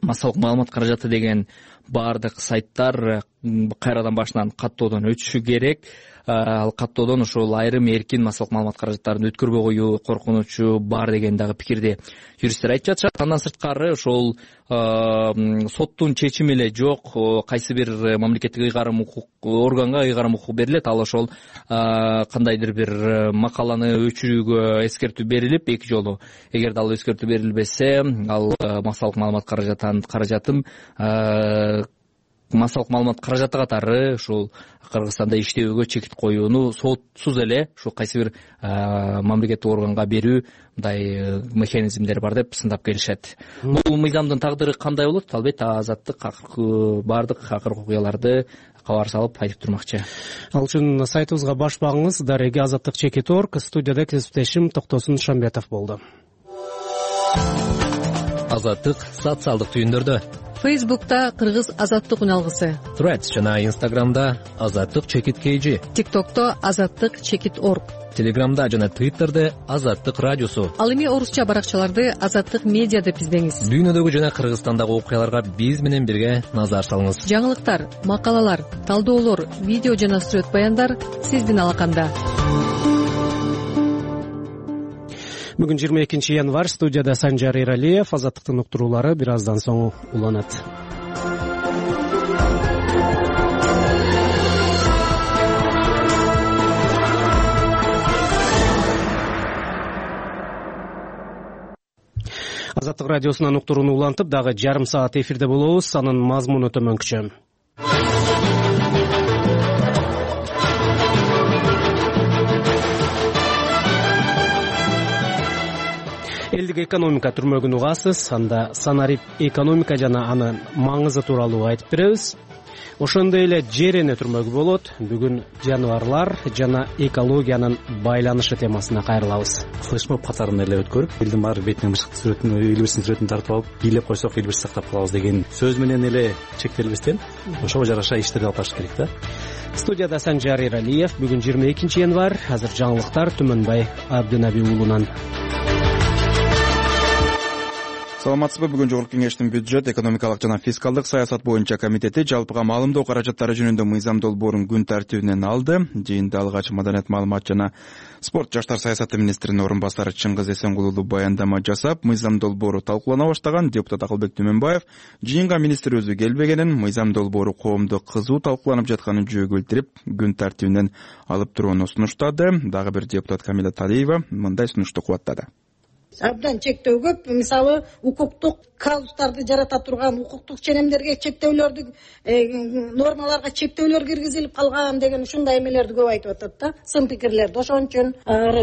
массалык маалымат каражаты деген баардык сайттар кайрадан башынан каттоодон өтүшү керек. Ал каттоодон ошол айрым эркин массалык маалымат каражаттарын өткөрбөй коюу коркунучу бар деген дагы пикирди юристтер айтып жатышат. Андан сырткары ошол соттун чечими эле жок, кайсы бир мамлекеттик ыйгарым укук органга ыйгарым укук берилет, ал ошол кандайдыр бир макаланы өчүрүүгө эскертүү берилип, эки жолу эгерде ал эскертүү берилбесе, ал массалык маалымат каражатын массалык маалымат каражаты катары ушул Кыргызстанда иштөөгө чекит коюуну сотсуз эле ушул кайсы бир мамлекеттик органга берүү мындай механизмдер бар деп сындап келишет. Бул мыйзамдын тагдыры кандай болот? Албетте азаттык баардык акыркы окуяларды кабар салып айтып турмакчы. Ал үчүн сайтыбызга баш багыңыз daragi-azattik.org. Студияда кесиптешим Токтосун Шамбетов болду. Азаттык социалдык түйүндөрдө. Фейсбукта Кыргыз азаттык үналгысы, Threads жана Instagramда азаттык чекит KG, TikTokто азаттык чекит org. Телеграмда жана Twitterде Азаттык радиосу. Ал эми орусча баракчаларды Азаттык медиа деп издеңиз. Дүйнөдөгү жана Кыргызстандагы окуяларга биз менен бирге назар салыңыз. Жаңылыктар, макалалар, талдоолор, видео жана сүрөт баяндар сиздин алаканда. Бүгүн 22 январь, студияда Санжар Эралиев. Азаттыктын уктуруулары бир аздан соң уланат. Азаттык радиосунан уктурууну улантып, дагы жарым саат эфирде болобуз. Анын мазмуну төмөнкүчө. Элдик экономика түрмөгүн угасыз. Анда санарип экономика жана анын маңызы тууралуу айтып беребиз. Ошондой эле жер эне түрмөгү болот. Бүгүн жаныбарлар жана экологиянын байланышы темасына кайрылабыз. Флешмоб катарында эле өткөрүп, элдин баары бетинен бышык сүрөтүн, эл бирсинин сүрөтүн тартып алып, бийлеп койсок эл бирси сактап калабыз деген сөз менен эле чектелбестен ошого жараша иштерди алып барыш керек да. Студияда Санжар Эралиев. Бүгүн 22 январь. Азыр жаңылыктар Түмөнбай Абдынаби уулунан. Саламатсызбы? Бүгүн Жогорку Кеңештин бюджет, экономикалык жана фискалдык саясат боюнча комитети жалпыга маалымдоо каражаттары жөнүндө мыйзам долбоорун күн тартибинен алды. Жыйында алгач маданият, маалымат жана спорт жаштар саясаты министринин орун басары Чыңгыз Эсенгулуу баяндама жасап, мыйзам долбоору талкуулана баштаган. Депутат Акылбек Түмөнбаев жыйынга министр өзү келбегенин, мыйзам долбоору коомдо кызуу талкууланып жатканын жөө келтирип, күн тартибинен алып турууну сунуштады. Дагы бир депутат Камила Талиева мындай сунушту кубаттады. Абдан чектөө көп. Мисалы, укуктук казустарды жарата турган, укуктук ченемдерге чектөөлөрдү, нормаларга чектөөлөр киргизилип калган деген ушундай эмелерди көп айтып атат да, сын пикирлерди. Ошон үчүн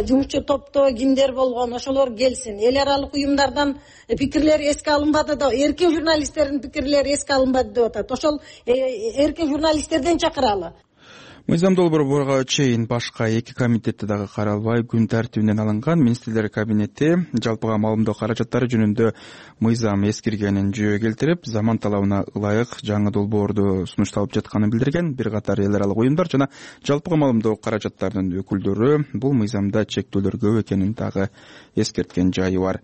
жумушчу топто кимдер болгон, ошолор келсин. Эл аралык уюмдардан пикирлер эске алынбады да, эркин журналисттердин пикирлери эске алынбады деп атат. Ошол эркин журналисттерден чакыралы. Мыйзам долбоору буга чейин башка эки комитетте дагы каралбай күн тартибинен алынган. Министрлер кабинети жалпыга маалымдоо каражаттары жөнүндө мыйзам эскиргенин жөө келтирип, заман талабына ылайык жаңы долбоорду сунушталып жатканын билдирген. Бир катар эл аралык уюмдар жана жалпыга маалымдоо каражаттарынын өкүлдөрү бул мыйзамда чектөөлөр көп экенин дагы эскерткен жайы бар.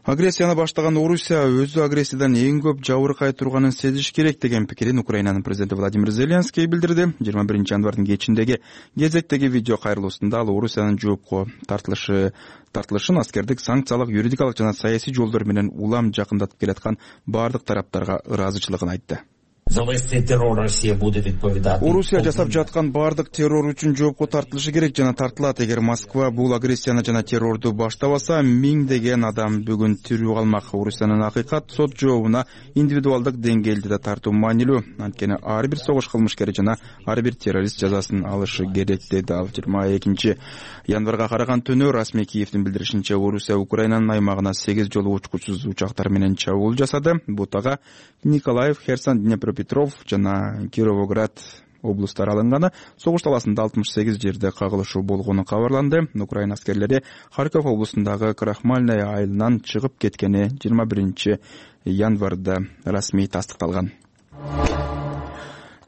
Агрессияны баштаган Орусия өзү агрессиядан эң көп жабыркай турганын сезиш керек деген пикирин Украинанын президенти Владимир Зеленский билдирди. 21 январдын кечиндеги кезектеги видео кайрылуусунда ал Орусиянын жоопко тартылышын аскердик, санкциялык, юридикалык жана саясий жолдор менен улам жакындатып келаткан бардык тараптарга ыраазычылыгын айтты. Орусия жасап жаткан бардык террор үчүн жоопко тартылышы керек жана тартылат. Эгер Москва бул агрессияны жана террорду баштабаса, миңдеген адам бүгүн тирүү калмак. Орусиянын акыйкат сот жообуна индивидуалдык деңгээлде да тартуу маанилүү. Анткени ар бир согуш кылмышкери жана ар бир террорист жазасын алышы керек деди ал. 22 январга караган түнү расмий Киевдин билдиришинче, Орусия Украинанын аймагына 8 жолу учкучсуз учактар менен чабуул жасады. Бутага Николаев, Херсон, Днепропетров жана Кировоград облустары алынганы. Согуш таласында 68 жерде кагылышуу болгону кабарланды. Украина аскерлери Харьков облусундагы Крахмальная айылынан чыгып кеткени 21 январда расмий тастыкталган.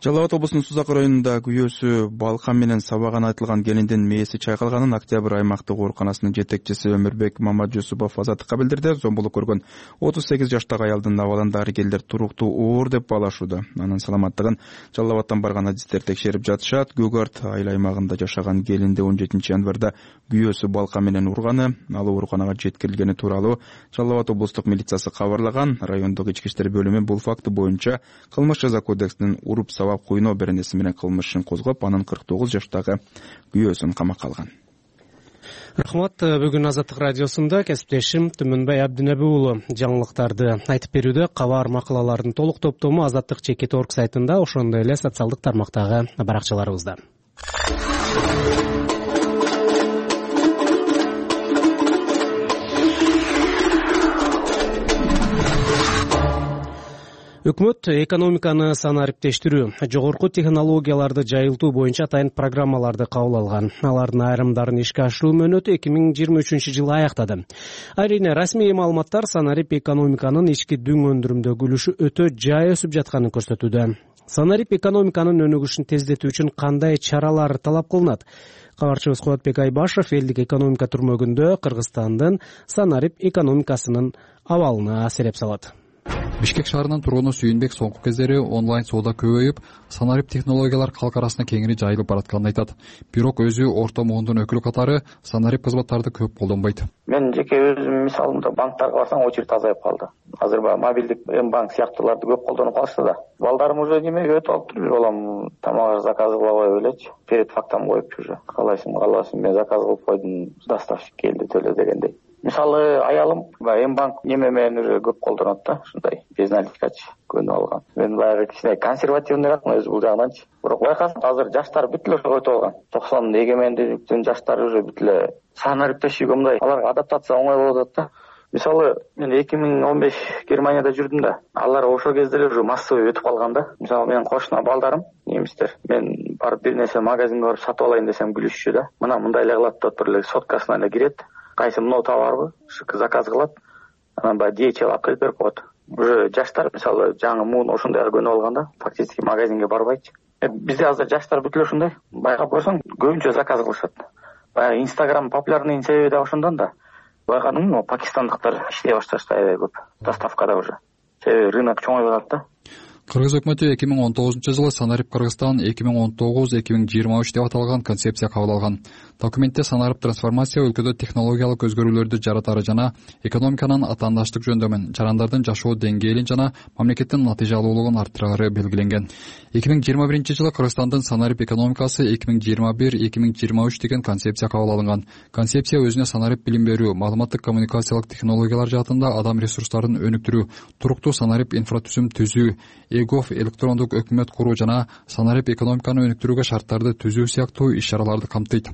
Жалал Абад облусунун Сузак районунда күйөөсү балкам менен сабаган айтылган келиндин мээси чайкалганын Октябрь аймактык ооруканасынын жетекчиси Өмүрбек Мамаджусупов Азаттыкка билдирди. Зомбулук көргөн 38 жаштагы аялдын абалын дарыгерлер туруктуу оор деп баалашууда. Анын саламаттыгын Жалал Абадтан барган адистер текшерип жатышат. Гөгарт айыл аймагында жашаган келинди 17 январда күйөөсү балкам менен урганы, ал ооруканага жеткирилгени тууралуу Жалал Абад облустук милициясы кабарлаган. Райондук ички иштер бөлүмү бул факты боюнча кылмыш жаза кодексинин уруп сабап куйноо беренеси менен кылмыш ишин козгоп, анын 49 жаштагы күйөөсүн камакка алган. Рахмат. Бүгүн Азаттык радиосунда кесиптешим Түмөнбай Абдынаби уулу жаңылыктарды айтып берүүдө. Кабар макалалардын толук топтому Азаттык /org сайтында, ошондой эле социалдык тармактагы баракчаларыбызда. Өкмөт экономиканы санариптештирүү, жогорку технологияларды жайылтуу боюнча атайын программаларды кабыл алган. Алардын айрымдарын ишке ашыруу мөөнөтү 2023 жылы аяктады. Айрыйне расмий маалыматтар санарип экономиканын ички дүң өндүрүмдөгү үлүшү өтө жай өсүп жатканын көрсөтүүдө. Санарип экономиканын өнүгүшүн тездетүү үчүн кандай чаралар талап кылынат? Кабарчыбыз Кубатбек Айбашев элдик экономика түрмөгүндө Кыргызстандын санарип экономикасынын абалына сереп салат. Бишкек шаарынын тургуну Сүйүнбек соңку кездери онлайн соода көбөйүп, санарип технологиялар калк арасына кеңири жайылып баратканын айтат. Бирок өзү орто муундун өкүлү катары санарип кызматтарды көп колдонбойт. Мен жеке өзүм мисалымда банктарга барсаң очередь азайып калды. Азыр баягы мобилдик М-банк сыяктууларды көп колдонуп калышты да. Балдарым уже немеге өтүп алыптыр. Бир балам тамак заказ кылбай элечи. Перед фактам коюпчу уже. Каалайсың, каалабасың, мен заказ кылып койдум, доставщик келди, төлө дегендей. Мисалы аялым баягы М-банк неме менен уже көп колдонот да, ушундай безналикачы көнүп алган. Мен баягы кичине консервативныйрак өзү бул жагынан. Бирок байкасаң, азыр жаштар бүт эле ошого өтүп алган. 90 эгемендиктин жаштары уже бүт эле санариптешүүгө мындай аларга адаптация оңой болуп атат да. Мисалы мен 2015 Германияда жүрдүм да. Алар ошол кезде эле уже массовый өтүп калган да. Мисалы менин кошуна балдарым, немистер, мен барып бир нерсе магазинге барып сатып алайын десем күлүшчү да. Мына мындай эле кылат деп туруп эле соткасына эле кирет. Кайсы мынау товарбы? Заказ кылат. Анан баягы DHL алып келип берип коет. Уже жаштар мисалы жаңы муун ошондой көнүп алган да. Фактически магазинге барбайчы. Бизде азыр жаштар бүт эле ушундай. Байкап көрсөң, көбүнчө заказ кылышат. Баягы Instagram популярный себеби да ошондон да. Байкадың, пакистандыктар иштей башташты аябай көп. Доставкада уже. Себеби рынок чоңоюп атат да. Кыргыз өкмөтү 2019-жылы Санарип Кыргызстан 2019-2023 деп аталган концепция кабыл алган. Документте санарип трансформация өлкөдө технологиялык өзгөрүүлөрдү жаратары жана экономиканын атаандаштык жөндөмүн, жарандардын жашоо деңгээлин жана мамлекеттин натыйжалуулугун арттырары белгиленген. 2021-жылы Кыргызстандын санарип экономикасы 2021-2023 деген концепция кабыл алынган. Концепция өзүнө санарип билим берүү, маалыматтык коммуникациялык технологиялар жаатында адам ресурстарын өнүктүрүү, туруктуу санарип инфратүзүм түзүү, ЭГОФ электрондук өкмөт куруу жана санарип экономиканы өнүктүрүүгө шарттарды түзүү сыяктуу иш-чараларды камтыйт.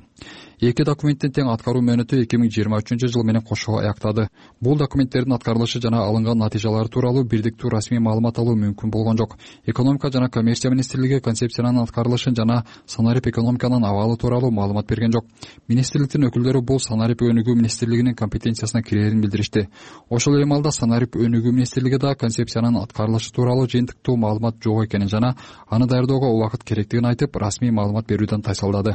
Эки документтин тең аткаруу мөөнөтү 2023-жыл менен кошо аяктады. Бул документтердин аткарылышы жана алынган натыйжалары тууралуу бирдиктүү расмий маалымат алуу мүмкүн болгон жок. Экономика жана коммерция министрлиги концепциянын аткарылышын жана санарип экономиканын абалы тууралуу маалымат берген жок. Министрликтин өкүлдөрү бул санарип өнүгүү министрлигинин компетенциясына кирерин билдиришти. Ошол эле маалда санарип өнүгүү министрлиги да концепциянын аткарылышы тууралуу жыйынтыктуу маалымат жок экенин жана аны даярдоого убакыт керектигин айтып, расмий маалымат берүүдөн тайсалдады.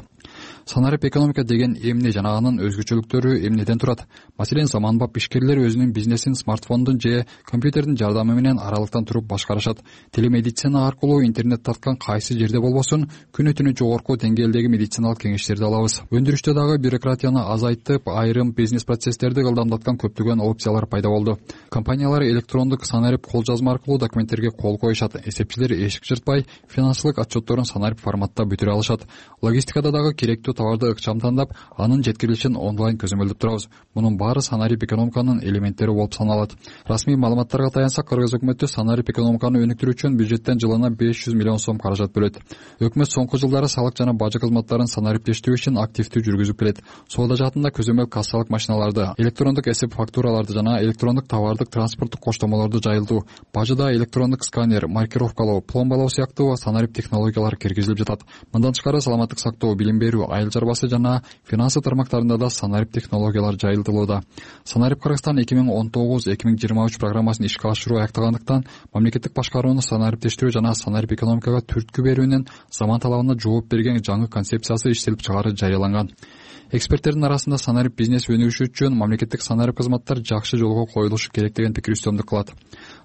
Санарип экономика деген эмне жана анын өзгөчөлүктөрү эмнеден турат? Маселен, заманбап ишкерлер өзүнүн бизнесин смартфондун же компьютердин жардамы менен аралыктан туруп башкарышат. Телемедицина аркылуу интернет тарткан кайсы жерде болбосун, күнү түнү жогорку деңгээлдеги медициналык кеңештерди алабыз. Өндүрүштө дагы бюрократияны азайтып, айрым бизнес процесстерди ылдамдаткан көптөгөн опциялар пайда болду. Компаниялар электрондук санарип кол жазма аркылуу документтерге кол коюшат. Эсепчилер эшик жыртпай, финансылык отчетторун санарип форматта бүтүрө алышат. Логистикада дагы керектүү товарды ыкчам тандап, анын жеткирилишин онлайн көзөмөлдөп турабыз. Мунун баары санарип экономиканын элементтери болуп саналат. Расмий маалыматтарга таянсак, Кыргыз өкмөтү санарип экономиканы өнүктүрүү үчүн бюджеттен жылына 500 миллион сом каражат бөлөт. Өкмөт соңку жылдары салык жана бажы кызматтарын санариптештирүү үчүн активдүү жүргүзүп келет. Соода жаатында көзөмөл кассалык машиналарды, электрондук эсеп фактураларды жана электрондук товардык транспорттук коштомолорду жайылтуу, бажыда электрондук сканер, маркировкалоо, пломбалоо сыяктуу санарип технологиялар киргизилип жатат. Мындан тышкары саламаттык сактоо, билим берүү, айыл чарбасы жана финансы тармактарында да санарип технологиялар жайылтылууда. Санарип Кыргызстан 2019-2023 программасын ишке ашыруу аяктагандыктан, мамлекеттик башкарууну санариптештирүү жана санарип экономикага түрткү берүүнүн заман талабына жооп берген жаңы концепциясы иштелип чыгаары жарыяланган. Эксперттердин арасында санарип бизнес өнүгүшү үчүн мамлекеттик санарип кызматтар жакшы жолго коюлушу керек деген пикир үстөмдүк кылат.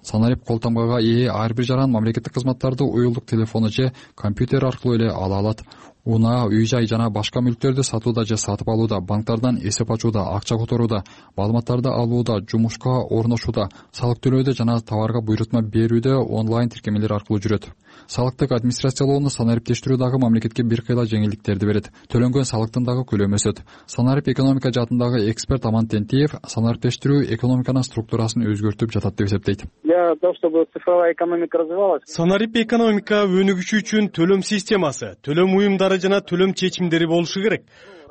Санарип кол тамгага ээ ар бир жаран мамлекеттик кызматтарды уюлдук телефону же компьютер аркылуу эле ала алат. Унаа, үй-жай жана башка мүлктөрдү сатууда же сатып алууда, банктардан эсеп ачууда, акча которууда, маалыматтарды алууда, жумушка орношууда, салык төлөөдө жана товарга буйрутма берүүдө онлайн тиркемелер аркылуу жүрөт. Салыктык администрациялоону санариптештирүү дагы мамлекетке бир кыйла жеңилдиктерди берет. Төлөнгөн салыктын дагы көлөмү өсөт. Санарип экономика жаатындагы эксперт Аман Тентиев санариптештирүү экономиканын структурасын өзгөртүп жатат деп эсептейт. Для того, чтобы цифровая экономика развивалась. Санарип экономика өнүгүшү үчүн төлөм системасы, төлөм уюмдары жана төлөм чечимдери болушу керек.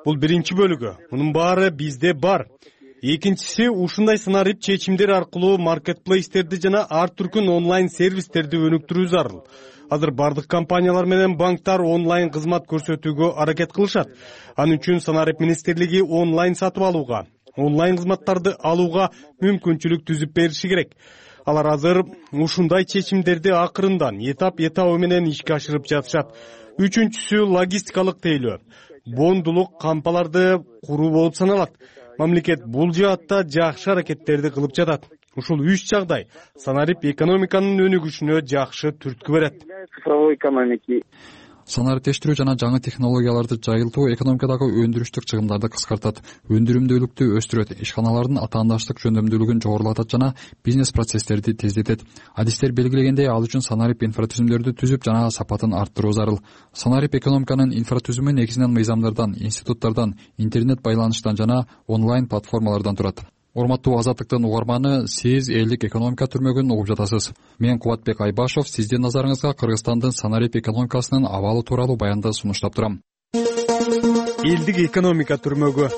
Бул биринчи бөлүгү. Мунун баары бизде бар. Экинчиси, ушундай санарип чечимдер аркылуу маркетплейстерди жана ар түркүн онлайн сервистерди өнүктүрүү зарыл. Азыр бардык компаниялар менен банктар онлайн кызмат көрсөтүүгө аракет кылышат. Анын үчүн санарип министрлиги онлайн сатып алууга, онлайн кызматтарды алууга мүмкүнчүлүк түзүп бериши керек. Алар азыр ушундай чечимдерди акырындан этап менен ишке ашырып жатышат. Үчүнчүсү логистикалык тейлөө. бондулук кампаларды куруу болуп саналат. Мамлекет бул жаатта жакшы аракеттерди кылып жатат. Ушул 3 жагдай санарип экономиканын өнүгүшүнө жакшы түрткү берет. Цифровой экономики. Санариптештирүү жана жаңы технологияларды жайылтуу экономикадагы өндүрүштүк чыгымдарды кыскартат, өндүрүмдүүлүктү өстүрөт, ишканалардын атаандаштык жөндөмдүүлүгүн жогорулатат жана бизнес процесстерди тездетет. Адистер белгилегендей, ал үчүн санарип инфратүзүмдөрдү түзүп жана сапатын арттыруу зарыл. Санарип экономиканын инфратүзүмү негизинен мыйзамдардан, институттардан, интернет байланыштан жана онлайн платформалардан турат. Урматтуу Азаттыктын угарманы, сиз элдик экономика түрмөгүн угуп жатасыз. Мен Кубатбек Айбашов сиздин назарыңызга Кыргызстандын санарип экономикасынын абалы тууралуу баянды сунуштап турам. Элдик экономика түрмөгү.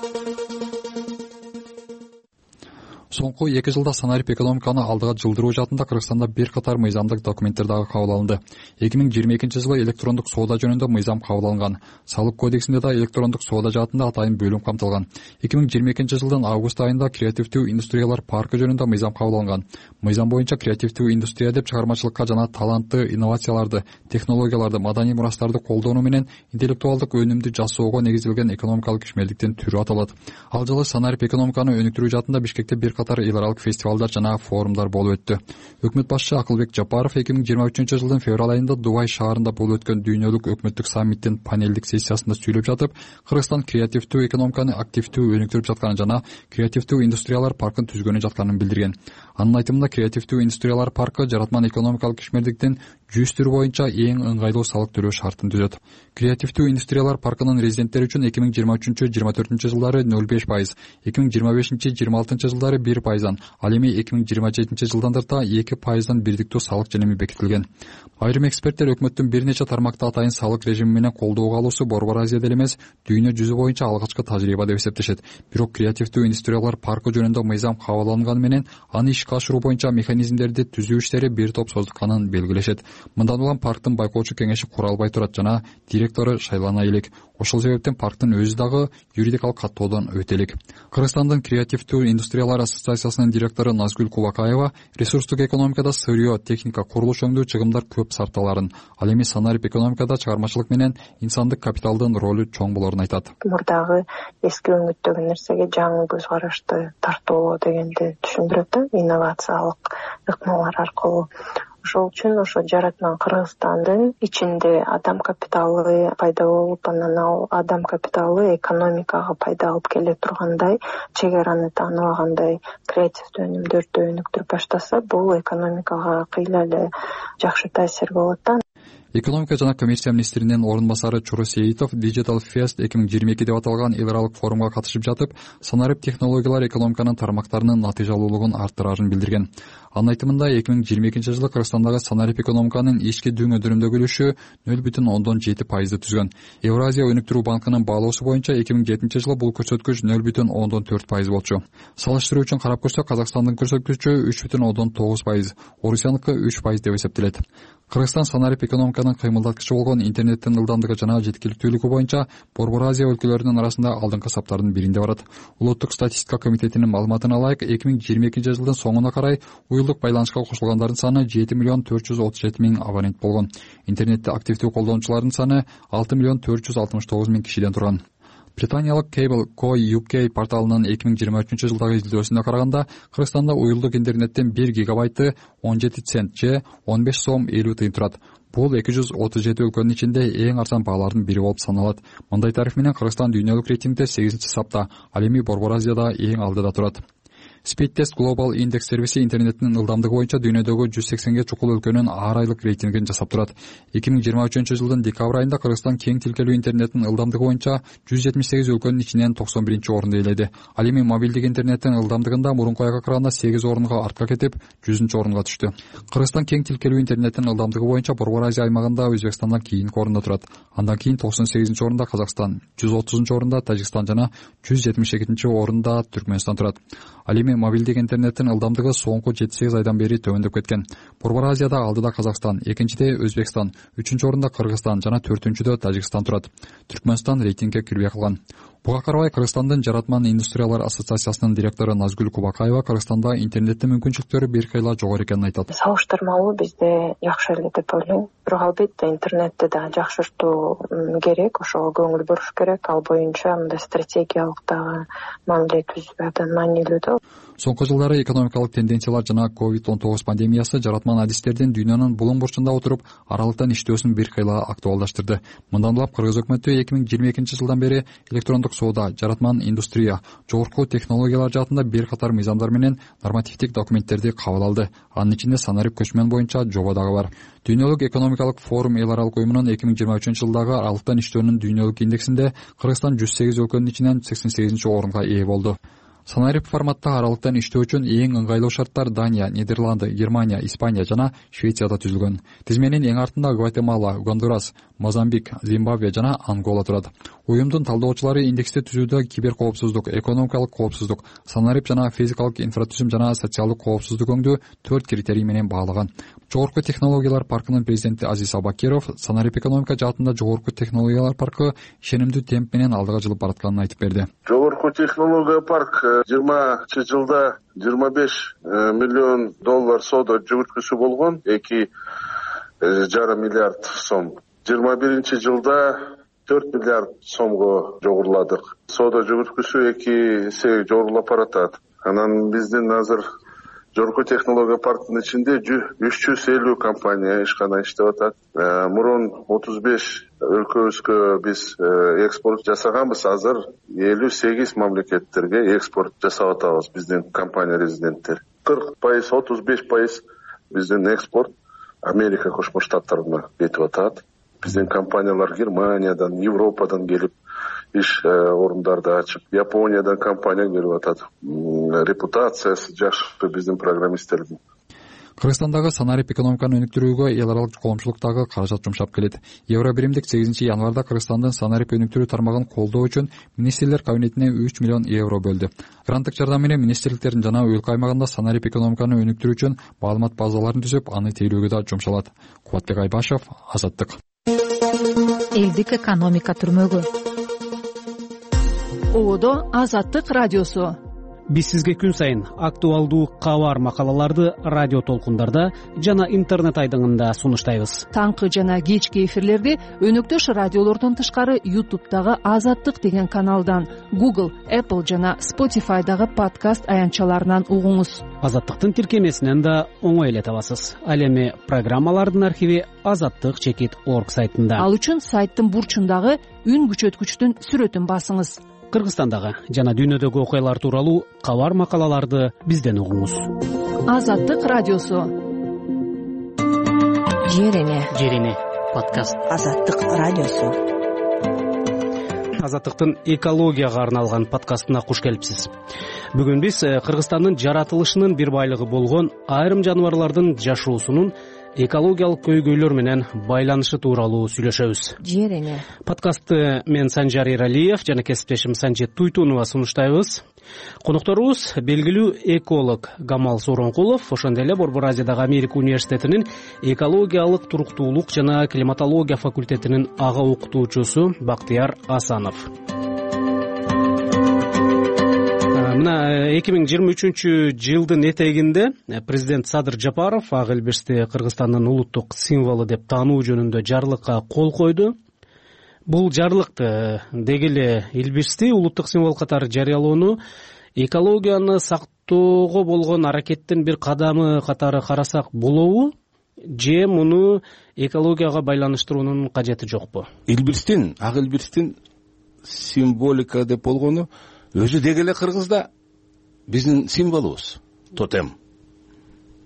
Соңку 2 жылда санарип экономиканы алдыга жылдыруу жаатында Кыргызстанда бир катар мыйзамдык документтер дагы кабыл алынды. 2022 жылы электрондук соода жөнүндө мыйзам кабыл алынган. Салык кодексинде да электрондук соода жаатында атайын бөлүм камтылган. 2022 жылдын август айында креативдүү индустриялар паркы жөнүндө мыйзам кабыл алынган. Мыйзам боюнча креативдүү индустрия деп чыгармачылыкка жана талантты инновацияларды, технологияларды, маданий мурастарды колдонуу менен интеллектуалдык өнүмдү жасоого негизделген экономикалык ишмерликтин түрү аталат. Ал жылы санарип экономиканы өнүктүрүү жаатында Бишкекте бир катар эл аралык фестивалдар жана форумдар болуп өттү. Өкмөт башчы Акылбек Жапаров 2023 жылдын февраль айында Дубай шаарында болуп өткөн дүйнөлүк өкмөттүк саммиттин панелдик сессиясында сүйлөп жатып, Кыргызстан креативдүү экономиканы активдүү өнүктүрүп жатканын жана креативдүү индустриялар паркын түзгөнү жатканын билдирген. Анын айтымында, креативдүү индустриялар паркы жаратман экономикалык ишмердиктин 100 түрү боюнча эң ыңгайлуу салык төлөө шартын түзөт. Креативдүү индустриялар паркынын резиденттери үчүн 2023-2024 жылдары 0,5%, 2025-2026 жылдары 1%, ал эми 2027 жылдан тарта 2%дан бирдиктүү салык женеми бекитилген. Айрым эксперттер өкмөттүн бир нече тармакта атайын салык режими менен колдоого алуусу Борбор Азияда эле эмес, дүйнө жүзү боюнча алгачкы тажрыйба деп эсептешет. Бирок креативдүү индустриялар паркы жөнүндө мыйзам кабыл алынганы менен аны ишке ашыруу боюнча механизмдерди түзүү иштери бир топ создукканын белгилешет. Мындан улам парктын байкоочу кеңеши куралбай турат жана директору шайлана элек. Ошол себептен парктын өзү дагы юридикалык каттоодон өтө элек. Кыргызстандын креативдүү индустриялар ассоциациясынын директору Назгүл Кулакаева ресурстук экономикада сырьё, техника, курулуш өңдүү чыгымдар көп сарпталарын, ал эми санарип экономикада чыгармачылык менен инсандык капиталдын ролу чоң болорун айтат. Мурдагы эски өңүттөгү нерсеге жаңы көз карашты тартуу дегенди түшүндүрөт да, инновациялык ыкмалар аркылуу. Ошол үчүн ошо жаратман Кыргызстандын ичинде адам капиталы пайда болуп, анан ал адам капиталы экономикага пайда алып келе тургандай, чек араны тааныбагандай креативдүү өнүмдөрдү өнүктүрүп баштаса, бул экономикага кыйла эле жакшы таасир болот да. Экономика жана коммерция министринин орун басары Чуру Сейитов Digital Fest 2022 деп аталган эл аралык форумга катышып жатып, санарип технологиялар экономиканын тармактарынын натыйжалуулугун арттырарын билдирген. Анын айтымында 2022 жылы Кыргызстандагы санарип экономиканын ички дүңөдөрүндөгү үлүшү 0,7% түзгөн. Евразия өнүктүрүү банкынын баалоосу боюнча 2007 жылы бул көрсөткүч 0,4% болчу. Салыштыруу үчүн карап көрсөк, Казакстандын көрсөткүчү 3,9%, Орусияныкы 3% деп эсептелет. Кыргызстан санарип экономиканын кыймылдаткычы болгон интернеттин ылдамдыгы жана жеткиликтүүлүгү боюнча Борбор Азия өлкөлөрүнүн арасында алдыңкы саптардын биринде барат. Улуттук статистика комитетинин маалыматына ылайык, 2022 жылдын соңуна карай уюлдук байланышка кошулгандардын саны 7,437,000 абонент болгон. Интернетти активдүү колдонуучулардын саны 6,469,000 кишиден турган. Британиялык Cable Co UK порталынын 2023 жылдагы изилдөөсүнө караганда, Кыргызстанда уюлдук интернеттин 1 гигабайты 17 цент же 15 сом 50 тыйын турат. Бул 237 өлкөнүн ичинде эң арзан баалардын бири болуп саналат. Мындай тариф менен Кыргызстан дүйнөлүк рейтингде 8-сапта, ал эми Борбор Азияда эң алдыда турат. Speedtest Global Index сервиси интернеттин ылдамдыгы боюнча дүйнөдөгү 180ге чукул өлкөнүн ар айлык рейтингин жасап турат. 2023 жылдын декабрь айында Кыргызстан кең тилкелүү интернеттин ылдамдыгы боюнча 178 өлкөнүн ичинен 91-орунду ээледи. Ал эми мобилдик интернеттин ылдамдыгында мурунку айга караганда 8 орунга артка кетип, 100-орунга түштү. Кыргызстан кең тилкелүү интернеттин ылдамдыгы боюнча Борбор Азия аймагында Өзбекстандан кийинки орунда турат. Андан кийин 98-орунда Казакстан, 130-орунда Тажикстан жана 172-орунда Түркмөнстан турат. Ал эми эми мобилдик интернеттин ылдамдыгы соңку 7-8 айдан бери төмөндөп кеткен. Борбор Азияда алдыда Казакстан, экинчиде Өзбекстан, 3-чү орунда Кыргызстан жана 4-чүдө Тажикстан турат. Түркмөнстан рейтингге кирбей калган. Буга карабай Кыргызстандын жаратман индустриялар ассоциациясынын директору Назгүл Кубакаева Кыргызстанда интернеттин мүмкүнчүлүктөрү бир кыйла жогору экенин айтат. Салыштырмалуу бизде жакшы эле деп ойлойм. Бирок албетте интернетти да жакшыртуу керек, ошого көңүл буруш керек. Ал боюнча мындай стратегиялык дагы мамиле түзүү абдан маанилүү да. Соңку жылдары экономикалык тенденциялар жана COVID-19 пандемиясы жаратман адистердин дүйнөнүн булуң бурчунда отуруп аралыктан иштөөсүн бир кыйла актуалдаштырды. Мындан улам Кыргыз өкмөтү 2022 жылдан бери электрондук соода, жаратман индустрия, жогорку технологиялар жаатында бир катар мыйзамдар менен нормативдик документтерди кабыл алды. Анын ичинде санарип көчмөн боюнча жобо дагы бар. Дүйнөлүк экономикалык форум эл аралык уюмунун 2023 жылдагы аралыктан иштөөнүн дүйнөлүк индексинде Кыргызстан 108 өлкөнүн ичинен 88 орунга ээ болду. Санарип форматта аралыктан иштөө үчүн эң ыңгайлуу шарттар Дания, Нидерланды, Германия, Испания жана Швецияда түзүлгөн. Тизменин эң артында Гватемала, Гондурас, Мозамбик, Зимбабве жана Ангола турат. Уюмдун талдоочулары индексти түзүүдө киберкоопсуздук, экономикалык коопсуздук, санарип жана физикалык инфратүзүм жана социалдык коопсуздук өңдүү 4 критерий менен баалаган. Жогорку технологиялар паркынын президенти Азиз Абакиров санарип экономика жаатында жогорку технологиялар паркы ишенимдүү темп менен алдыга жылып баратканын айтып берди. Жогорку технология парк 20 жылда 25 миллион доллар соода жүгүрткүсү болгон, 2,5 миллиард сом. 21 жылда 4 миллиард сомго жогоруладык. Соода жүгүрткүсү 2 эсе жогорулап баратат. Анан биздин азыр жогорку технология парктын ичинде 350 компания ишкана иштеп атат. Мурун 35 өлкөбүзгө биз экспорт жасаганбыз, азыр 58 мамлекеттерге экспорт жасап атабыз биздин компания резиденттер. 40%, 35% биздин экспорт Америка Кошмо Штаттарына кетип атат. Биздин компаниялар Германиядан, Европадан келип иш орундарды ачып, Япониядан компания келип атат. Репутациясы жакшы биздин программисттердин. Кыргызстандагы санарип экономиканы өнүктүрүүгө эл аралык коомчулуктагы каражат жумшап келет. Евро биримдик 8 январда Кыргызстандын санарип өнүктүрүү тармагын колдоо үчүн министрлер кабинетине 3 миллион евро бөлдү. Гранттык жардам менен министрликтердин жана өлкө аймагында санарип экономиканы өнүктүрүү үчүн маалымат базаларын түзүп, аны тейлөөгө да жумшалат. Кубатбек Айбашев, Азаттык. Элдик экономика түрмөгү. Одо Азаттык радиосу. Биз сизге күн сайын актуалдуу кабар макалаларды радио толкундарда жана интернет айдыңында сунуштайбыз. Таңкы жана кечки эфирлерди өнөктөш радиолордон тышкары YouTube'дагы Азаттык деген каналдан, Google, Apple жана Spotify'дагы подкаст аянтчаларынан угуңуз. Азаттыктын тиркемесинен да оңой эле табасыз. Ал эми программалардын архиви azattik.org сайтында. Ал үчүн сайттын бурчундагы үн күчөткүчтүн сүрөтүн басыңыз. Кыргызстандагы жана дүйнөдөгү окуялар тууралуу кабар макалаларды бизден угуңуз. Азаттык радиосу. Жерине подкаст. Азаттык радиосу. Азаттыктын экологияга арналган подкастына куш келипсиз. Бүгүн биз Кыргызстандын жаратылышынын бир байлыгы болгон айрым жаныбарлардын жашоосунун экологиялык көйгөйлөр менен байланышы тууралуу сүйлөшөбүз. Жерине. Подкастты мен Санжар Эралиев жана кесиптешим Санжет Туйтунова сунуштайбыз. Конокторубуз белгилүү эколог Гамал Сооронкулов, ошондой эле Борбор Азиядагы Америка университетинин экологиялык туруктуулук жана климатология факультетинин ага окутуучусу Бактыяр Асанов. Мына 2023 жылдын этегинде президент Садыр Жапаров ак элбешти Кыргызстандын улуттук символу деп таануу жөнүндө жарлыкка кол койду. Бул жарлыкты деги эле илбирсти улуттук символ катары жарыялоону экологияны сактоого болгон аракеттин бир кадамы катары карасак болобу, же муну экологияга байланыштыруунун кажети жокпу? Ак элбирстин символика деп болгону өзү деги эле Кыргызда биздин символубуз, тотем.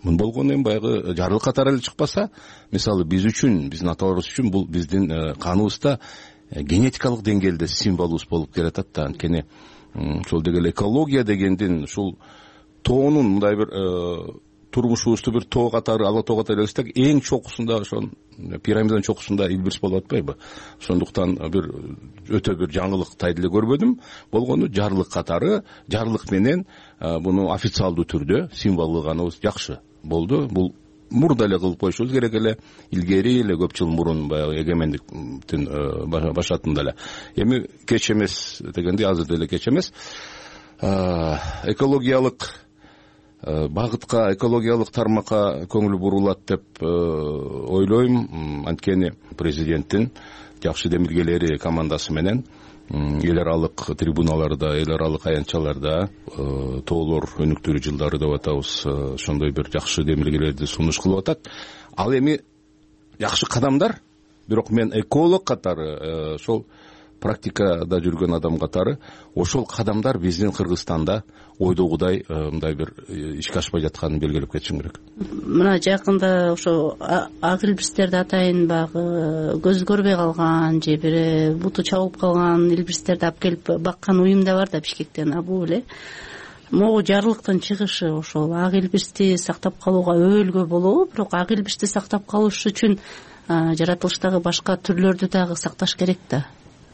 Мун болгону эми баягы жарлык катары эле чыкпаса, мисалы биз үчүн, биздин аталарыбыз үчүн бул биздин каныбызда генетикалык деңгээлде символубуз болуп келатат да. Анткени ошол деги эле экология дегендин ушул тоонун мындай бир турмушубузду бир тоо катары ала тоо катары элестетсек, эң чокусунда ошо пирамиданын чокусунда Элбирис болуп атпайбы? Ошондуктан бир өтө бир жаңылык тайда эле көрбөдүм. Болгону жарлык катары, жарлык менен буну официалдуу түрдө символдоганыбыз жакшы болду. Бул мурда эле кылып коюшубуз керек эле, илгери эле көп жыл мурун баягы эгемендиктин башатында эле. Эми кеч эмес дегенде азыр деле кеч эмес. Экологиялык багытка, экологиялык тармакка көңүл бурулат деп ойлойм. Анткени президенттин жакшы демилгелери командасы менен эл аралык трибуналарда, эл аралык аянтчаларда тоолор өнүктүрүү жылдары деп атабыз, ошондой бир жакшы демилгелерди сунуш кылып атат. Ал эми жакшы кадамдар, бирок мен эколог катары, ошол практикада жүргөн адам катары, ошол кадамдар биздин Кыргызстанда ойдогудай мындай бир ишке ашпай жатканын белгилеп кетишим керек. Мына жакында ошо ак илбирстерди атайын, баягы көз көрбөй калган же бир буту чабылып калган илбирстерди алып келип баккан уюм да бар да Бишкектен. Бул эле могу жарлыктын чыгышы ошол ак илбирсти сактап калууга өбөлгө болобу, бирок ак илбирсти сактап калыш үчүн жаратылыштагы башка түрлөрдү дагы сакташ керек да.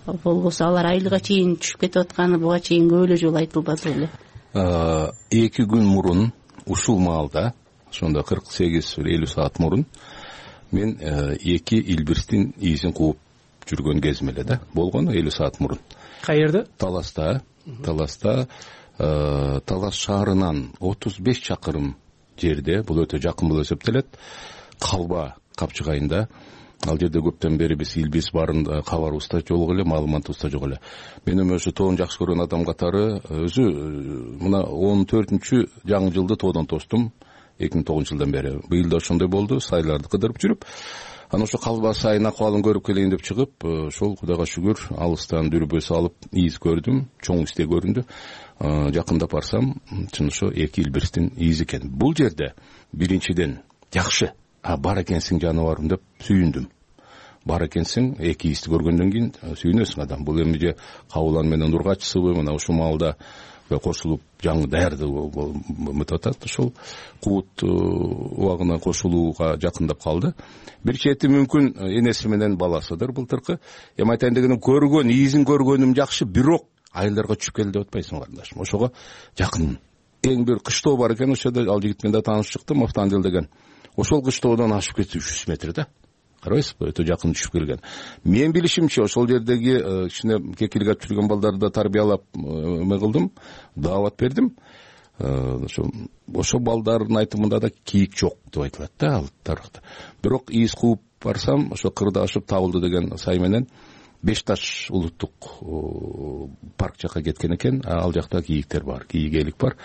Болбосо алар айылга чейин түшүп кетип атканы буга чейин көп эле жолу айтылбады беле. 2 күн мурун ушул маалда, ошондо 48-50 саат мурун мен 2 илбирстин изин кууп жүргөн кезим эле да. Болгону 50 саат мурун. Каерде? Таласта. Талас шаарынан 35 чакырым жерде, бул өтө жакын болуп эсептелет. Калба капчыгайында. Ал жерде көптөн бери биз илбирс барын кабарыбызда жок эле, маалыматыбызда жок эле. Мен эми ошо тоон жакшы көргөн адам катары өзү мына 14-чү жаңы жылды тоодон тостум 2009 жылдан бери. Быйыл да ошондой болду, сайларды кыдырып жүрүп, анан ошо калба сайын акыбалын көрүп келейин деп чыгып, ошол Кудайга шүгүр алыстан дүрбө салып из көрдүм, чоң изде көрүндү. Жакындап барсам, чын ошо 2 илбирстин изи экен. Бул жерде биринчиден жакшы, бар экенсиң жаныбарым деп сүйүндүм. Бар экенсиң, 2 изди көргөндөн кийин сүйүнөсүң адам. Бул эми же кабылан менен ургачысыбы, мына ушул маалда кошулуп жаңы даярдык өтүп атат. Ошол куут убагына кошулууга жакындап калды. Бир чети мүмкүн энеси менен баласыдыр былтыркы. Эми айтайын дегеним, көргөн, изин көргөнүм жакшы, бирок айылдарга түшүп келди деп атпайсың карындашым. Ошого жакын. Эң бир кыштоо бар экен, ошодо ал жигит менен да таанышып чыктым, Автандел деген. Ошол кыштоодон ашып кетти 300 метр да. Карабайсызбы, өтө жакын түшүп келген. Мен билишимче ошол жердеги кичине кекилик ачып жүргөн балдарды тарбиялап эме кылдым, даават бердим. Ошол балдардын айтымында да кийик жок деп айтылат да ал тарыхта. Бирок из кууп барсам, ошо кырда ашып табылды деген сай менен Беш Таш улуттук парк жака кеткен экен. Ал жакта кийиктер бар, кийик бар.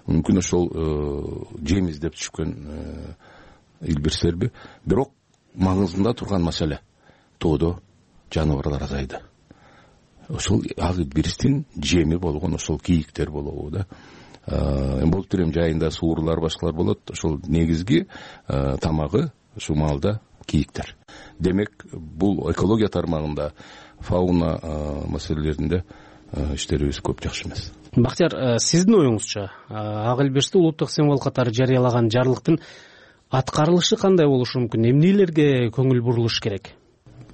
Мүмкүн ошол жем издеп түшкөн илбирстерби. Бирок маңызында турган маселе тоодо жаныбарлар азайды. Ошол ак илбирстин жеми болгон ошол кийиктер болобу да. Болуп турем жайында суурлар, башкалар болот. Ошол негизги тамагы ушул маалда кийиктер. Демек, бул экология тармагында, фауна маселелеринде иштерибиз көп жакшы эмес. Бактияр, сиздин оюңузча, ак илбирсти улуттук символ катары жарыялаган жарлыктын аткарылышы кандай болушу мүмкүн? Эмнелерге көңүл бурулуш керек?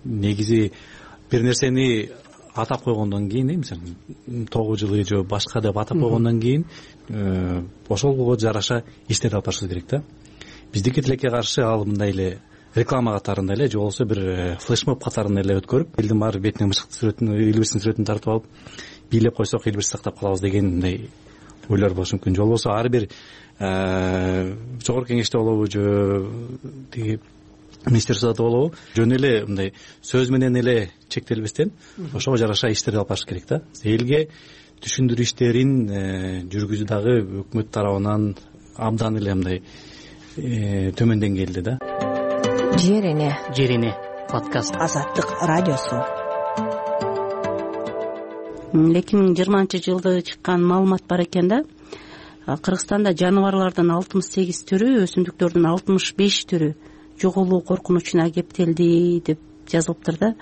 Негизи бир нерсени атап койгондон кийин, мисалы 9 жылы же башка деп атап койгондон кийин, ошолго жараша иштерди алып барышыбыз керек да. Биздики тилекке каршы ал мындай эле реклама катарында эле же болбосо бир флешмоб катарында эле өткөрүп, элдин баары бетине мышыктын сүрөтүн, илбирстин сүрөтүн тартып алып, бийлеп койсок илбирсти сактап калабыз деген мындай ойлор болушу мүмкүн. Же болбосо ар бир жогорку кеңеште болобу же тиги министерстводо болобу, жөн эле мындай сөз менен эле чектелбестен ошого жараша иштерди алып барыш керек да. Элге түшүндүрүү иштерин жүргүзүү дагы өкмөт тарабынан абдан эле мындай төмөн деңгээлде да. Жерине подкаст Азаттык радиосу. 2020 жылда чыккан маалымат бар экен да. Кыргызстанда жаныбарлардын 68 түрү, өсүмдүктөрдүн 65 түрү жоголуу коркунучуна кептелди деп жазылыптыр да.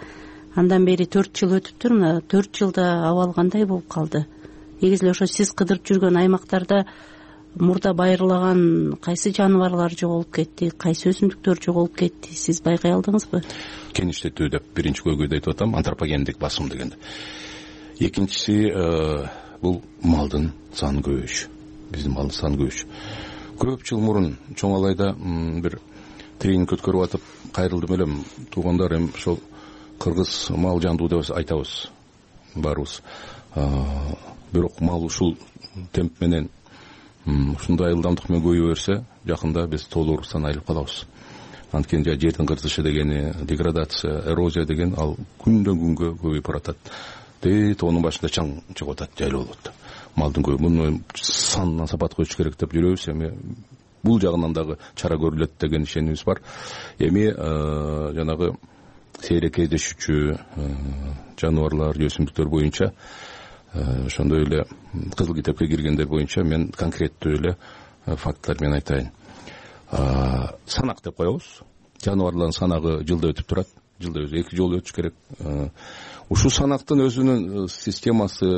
Андан бери 4 жыл өтүптүр. Мына 4 жылда абал кандай болуп калды? Негизи ошо сиз кыдырып жүргөн аймактарда мурда байырлаган кайсы жаныбарлар жоголуп кетти, кайсы өсүмдүктөр жоголуп кетти, сиз байкай алдыңызбы? Кеништетүү деп биринчи көйгөйдө айтып атам, антропогендик басым дегенде. Экинчиси бул малдын саны көбөйүшү. Биздин малдын саны көбөйүшү. Көп жыл мурун чоң алайда бир тренинг өткөрүп атып кайрылдым элем. Туугандар эми ошол кыргыз мал жандуу деп айтабыз баарыбыз. Бирок мал ушул темп менен ушундай ылдамдык менен көбөйө берсе, жакында биз толууруксан айрылып калабыз. Анткени жердин кыртышы дегени, деградация, эрозия деген ал күндөн күнгө көбөйүп баратат. Тоонун башында чаң чыгып атат, жайлуу болот. Малдын көбү муну санына сапат коюш керек деп жүрөбүз. Эми бул жагынан дагы чара көрүлөт деген ишенимибиз бар. Эми жанагы сейрек кездешүүчү жаныбарлар, өсүмдүктөр боюнча ошондой эле кызыл китепке киргендер боюнча мен конкреттүү эле фактылар менен айтайын. Санак деп коебуз. Жаныбарлардын санагы жылда өтүп турат. Жылда 2 жолу өтүш керек. Ушул санактын өзүнүн системасы,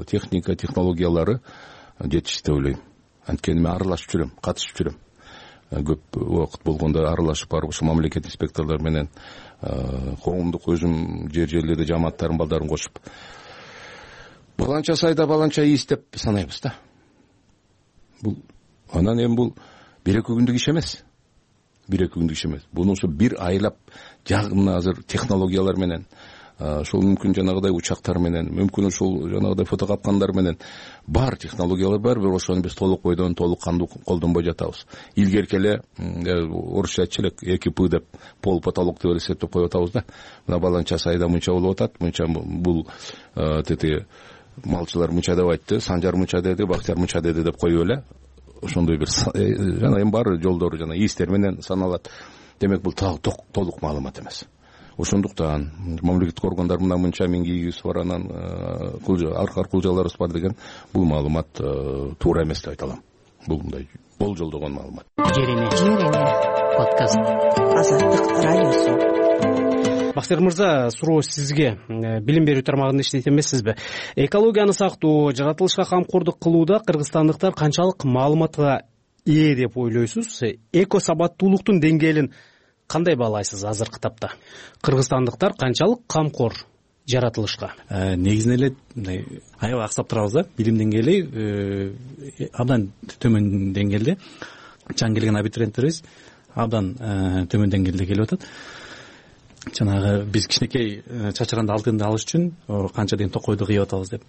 техника, технологиялары жетишти деп ойлойм. Анткени мен аралашып жүрөм, катышып жүрөм. Көп убакыт болгондо аралашып барып ушу мамлекет инспекторлор менен коомдук өзүм жерлерде жамааттардын балдарын кошуп баланча сайда баланча ийиз деп санайбыз да. Бул анан эми бул 1-2 күндүк иш эмес. 1-2 күндүк иш эмес. Буну ошо бир айлап жагымына азыр технологиялар менен, ошол мүмкүн жанагыдай учактар менен, мүмкүн ушул жанагыдай фотокапкандар менен бар технологиялар бар, бирок ошону биз толук бойдон толук кандуу колдонбой жатабыз. Илгерки эле орусча айтчу элек 2П деп пол потолок деп эсептеп коюп атабыз да. Мына баланча сайда мынча болуп атат, мынча бул тети малчылар мынча деп айтты, Санжар мынча деди, Бактияр мынча деди деп коюп эле ошондой бир жана эми бар жолдору жана ийистер менен саналат. Демек бул толук маалымат эмес. Ошондуктан мамлекеттик органдар мынча миң кийигибиз бар, анан аркылжаларыбыз бар деген бул маалымат туура эмес деп айта алам. Бул мындай болжолдогон маалымат. Жереме подкаст Азаттык радиосу. Бактияр мырза, суроо сизге. Билим берүү тармагында иштейт эмессизби? Экологияны сактоо, жаратылышка камкордук кылууда кыргызстандыктар канчалык маалыматка ээ деп ойлойсуз? Эко сабаттуулуктун деңгээлин кандай баалайсыз азыркы тапта? Кыргызстандыктар канчалык камкор жаратылышка? Негизинен эле мындай аябай аксап турабыз да. Билим деңгээли абдан төмөн деңгээлде. Чаң келген абитуриенттерибиз абдан төмөн деңгээлде келип атат. Жанагы биз кичинекей чачырганды алтынды алыш үчүн канча деген токойду кыйып атабыз деп.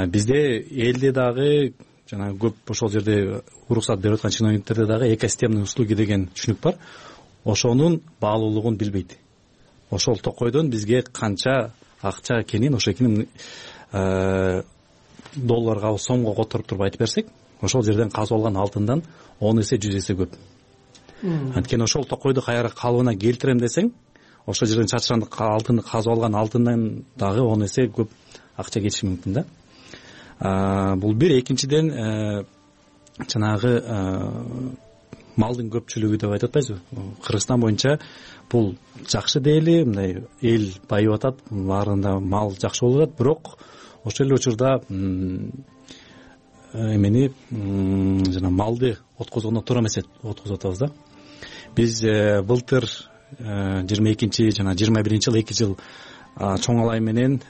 Бизде элде дагы жанагы көп ошол жерде уруксат берип аткан чиновниктерде дагы экосистемный услуги деген түшүнүк бар. Ошонун баалуулугун билбейт. Ошол токойдон бизге канча акча экенин, ошо экенин долларга, сомго которуп туруп айтып берсек, ошол жерден казып алган алтындан 10 эсе 100 эсе көп. Анткени ошол токойду кайра калыбына келтирем десең, ошол жерден чачырганды алтынды казып алган алтындан дагы 10 эсе көп акча кетиши мүмкүн да. Бул бир. Экинчиден жанагы малдын көпчүлүгү деп айтып атпайсызбы? Кыргызстан боюнча бул жакшы дейли, мындай эл байып атат, баарында мал жакшы болуп атат, бирок ошол эле учурда эмени жана малды откозгондо туура эмес откозуп атабыз да. Биз былтыр 22 жана 21 жыл 2 жыл чоң алай менен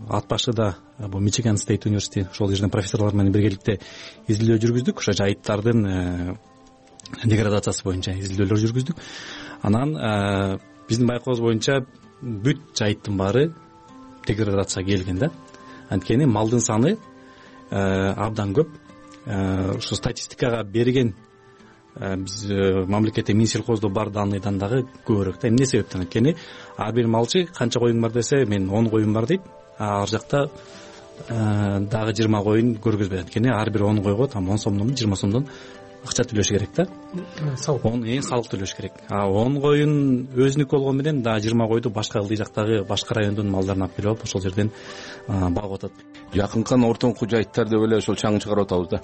ат башыда бул Мичиган Стейт университети ошол жерден профессорлор менен биргеликте изилдөө жүргүздүк. Ошо жайыттардын деградациясы боюнча изилдөөлөр жүргүздүк. Анан биздин байкообуз боюнча бүт жайыттын баары деградацияга келген да. Анткени малдын саны абдан көп. Ушу статистикага берген биз мамлекетте Минсельхоздо бар данныйдан дагы көбүрөөк да. Эмне себептен? Анткени ар бир малчы канча коюң бар десе, мен 10 коюм бар дейт. Ар жакта дагы 20 коюн көргөзбөйт. Анткени ар бир 10 койго там 10 сомдон 20 сомдон акча төлөш керек да. Салык төлөш керек. 10 коюн өзүнүк болгон менен дагы 20 койду башка ылдый жактагы башка райондун малдарына алып келип алып ошол жерден багып атат. Жакынкы ортоңку жайыттар деп эле ошол чаңын чыгарып атабыз да.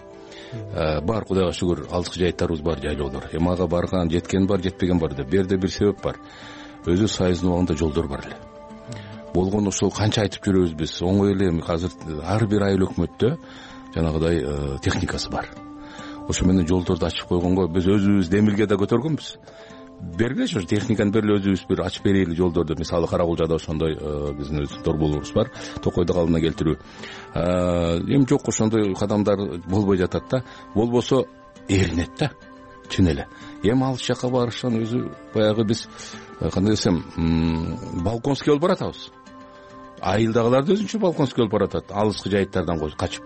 Бар, Кудайга шүгүр, алдыкы жайыттарыбыз бар, жайлоолор. Эми ага барган, жеткен бар, жетпеген бар деп. Берде бир себеп бар. Өзү сайыздын убагында жолдор бар эле. Болгону ошол канча айтып жүрөбүз биз. Оңой эле азыр ар бир айыл өкмөттө жанагыдай техникасы бар. Ошо менен жолдорду ачып койгонго биз өзүбүз демилге да көтөргөнбүз. Бергилечи ошо техниканы бергиле, өзүбүз бир ачып берели жолдорду. Мисалы Каракулжада ошондой биздин өз торболорубуз бар, токойду калыбына келтирүү. Эми жок, ошондой кадамдар болбой жатат да. Болбосо эринет да, чын эле. Эми алыс жакка барышан өзү баягы биз кандай десем, балконский болуп баратабыз. Айылдагылар да өзүнчө балконский болуп баратат, алыскы жайыттардан качып.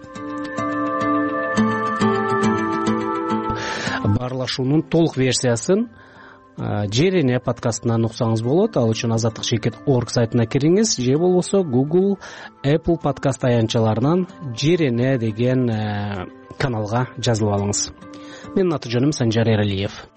Баарлашуунун толук версиясын Жер эне подкастынан уксаңыз болот. Ал үчүн azatdıq.org сайтына кириңиз же болбосо Google, Apple подкаст аянтчаларынан Жер эне деген каналга жазылып алыңыз. Менин аты жөнүм Санжар Эралиев.